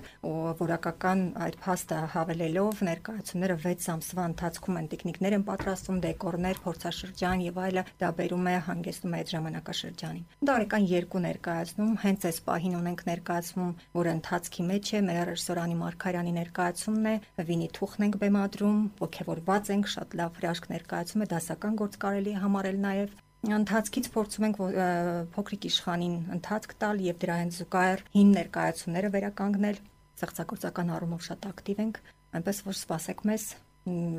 որակական այդ փաստը հավելելով ներկայացումները 6 ամսվա ընթացքում են տեխնիկներ են պատրաստում, դեկորներ, փորձաշրջան եւ այլը, դա բերում է հանգեցնում է այդ ժամանակաշրջանին։ Տարեկան 2 ներկայացնում, հենց այս պահին ունենք ներկայացում, որը ընթացքի մեջ է, մեր ռեժիսոր Անի Մարգարյանի ներկայացումն է, Վինի Թուխն ենք բեմադրում, ոգևորված ենք, շատ լավ հրաշք ներկայացում է, դասական գործ կարելի է համարել նաեւ։ Ընթացքից փորձում ենք փոքրիկ իշխանին ընթացք տալ եւ դրա հենց զուգահեռ հին ներկայացումները վերականգնել, ստեղծագործական առումով շատ ակտիվ ենք, այնպես որ սպասեք մեզ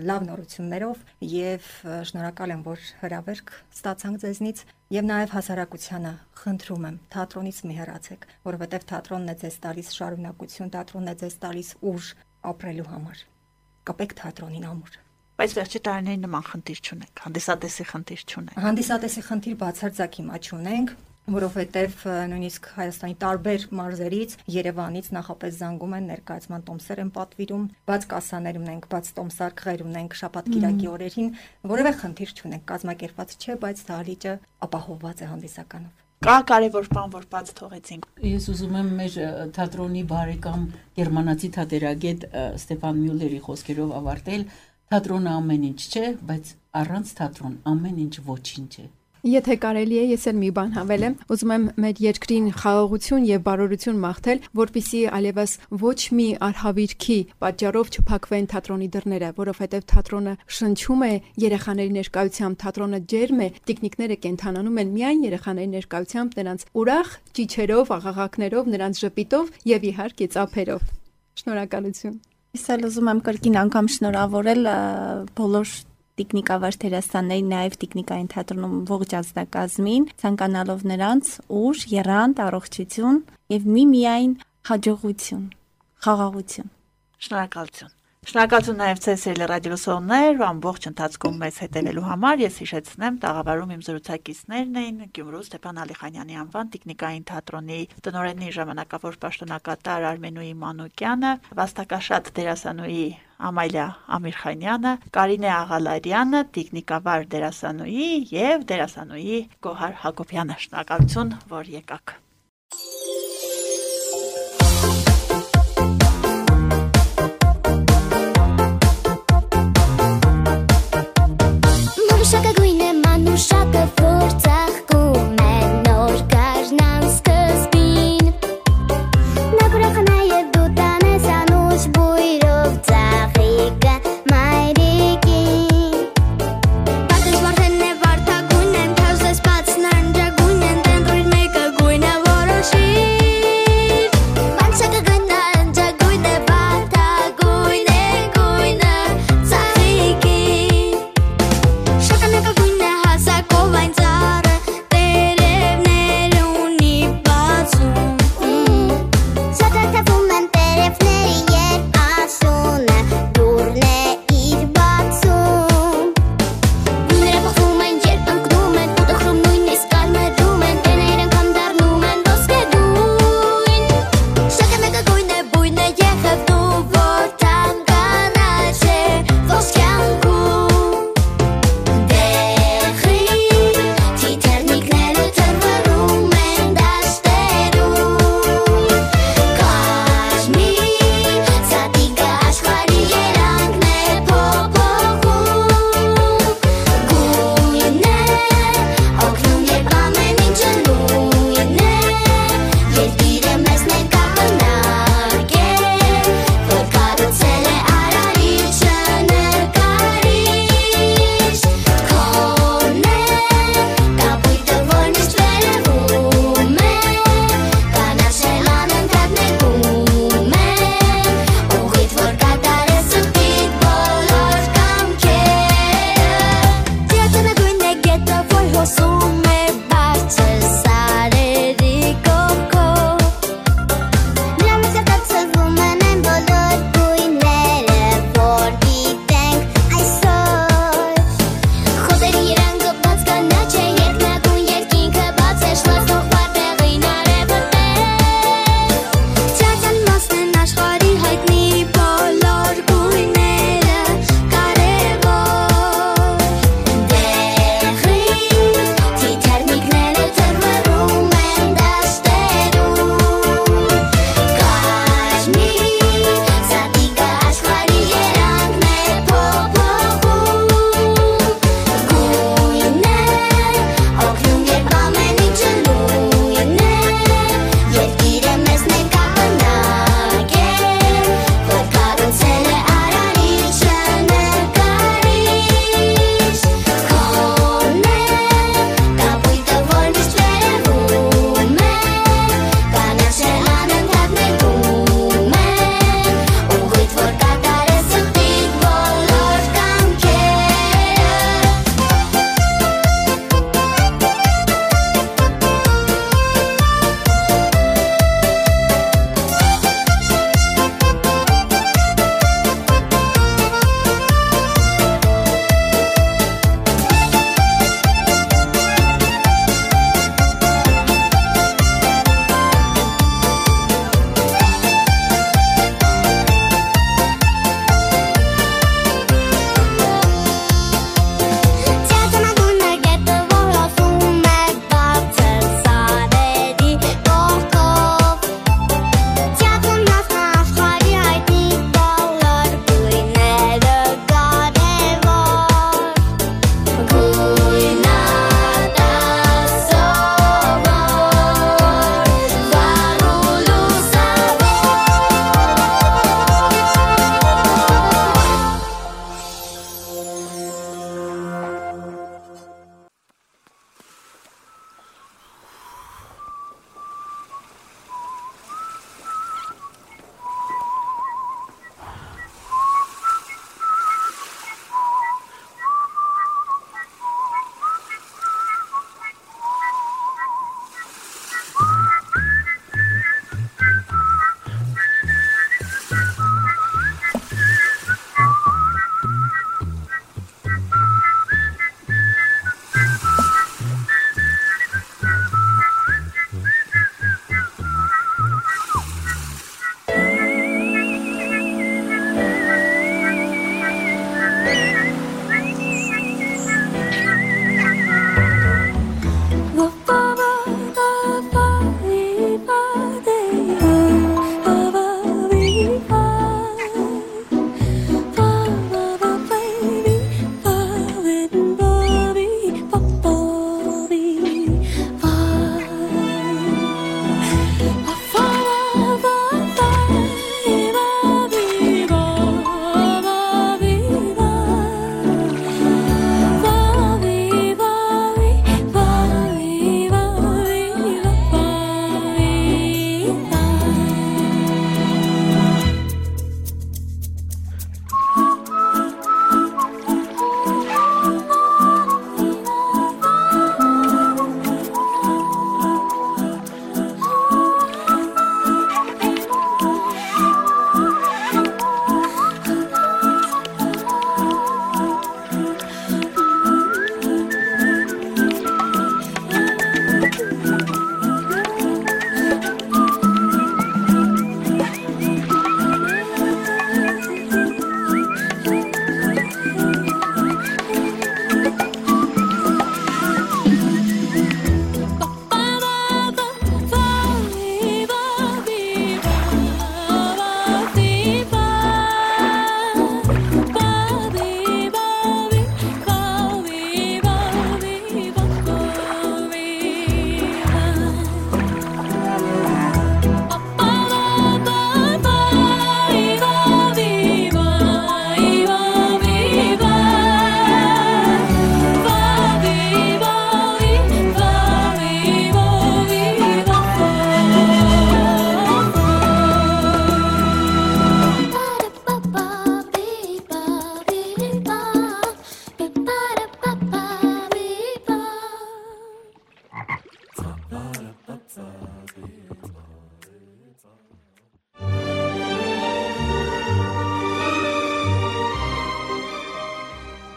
լավ նորություններով եւ շնորհակալ եմ, որ հրավերք ստացանք ձեզնից եւ նաեւ հասարակությանը խնդրում եմ թատրոնից մի հեռացեք, որովհետեւ թատրոնն է ձեզ տալիս շարունակություն, թատրոնն է ձեզ տալիս ուժ ապրելու համար։ Կապեք թատրոնին ամուր։ Բայց վերջի տարիներին նման խնդիր չունենք, հանդիսատեսի խնդիր չունենք։ Հանդիսատեսի խնդիր բացարձակ հիմա չունենք, որովհետև նույնիսկ Հայաստանի տարբեր մարզերից, Երևանից նախապես զանգում են, ներկայացման տոմսեր են պատվիրում, բաց կասաներ ունենք, բաց տոմսարկղեր ունենք շաբաթ-կիրակի օրերին, որևէ խնդիր չունենք, կազմակերպված չէ, բայց դահլիճը ապահովված է հանդիսականով։ Կա կարևոր բան, որ բաց թողեցինք։ Ես ուզում եմ մեր թատրոնի բարեկամ գերմանացի թատերագետ Ստեփան Մյուլլերի խոսքերով ավարտել. Թատրոնը ամեն ինչ չէ, բայց առանց թատրոն ամեն ինչ ոչինչ է։ Եթե կարելի է, ես էլ մի բան հավելեմ, ուզում եմ մեր երկրին խաղաղություն եւ բարօրություն մաղթել, որպիսի այլևս ոչ մի արհավիրքի պատճառով չփակվեն թատրոնի դռները, որովհետեւ թատրոնը շնչում է երեխաների ներկայությամբ, թատրոնը ջերմ է, տիկնիկները կենթանանում են միայն երեխաների ներկայությամբ, նրանց ուրախ ճիչերով, աղաղակներով, նրանց ժպիտով եւ իհարկե ծափերով։ Շնորհակալություն։ Ես էլ ուզում եմ կրկին անգամ շնորհավորել բոլոր տիկնիկավար դերասաններին, նաև տիկնիկային թատրոնում ողջ ազգակազմին, ցանկանալով նրանց ուժ, եռանդ, առողջություն եւ միմիայն հաջողություն, խաղաղություն։ Շնորհակալություն։ Շնորհակալություն նաև ձեզ ռադիոլսողներ, ամբողջ ընթացքում մեզ հետևելու համար։ Ես հիշեցնեմ, տաղավարում իմ զրուցակիցներն էին Գյումրու Ստեփան Ալիխանյանի անվան տիկնիկային թատրոնի տնօրենի ժամանակավոր պաշտոնակատար Արմենուի Մանուկյանը, վաստակաշատ դերասանուհի Ամալիա Ամիրխանյանը, Կարինե Աղալարյանը, տիկնիկավար դերասանուհի եւ դերասանուհի Գոհար Հակոբյանը։ Շնորհակալություն, որ եկաք։ Պատեժ վարդեն է վարդագույն են, թազես բացնան ջագույն են, տեն ռույր մեկը գույնը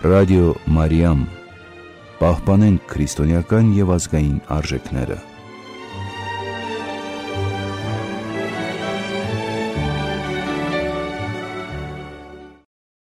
Ռադիո Մարիամ, պահպանենք քրիստոնեական եւ ազգային արժեքները։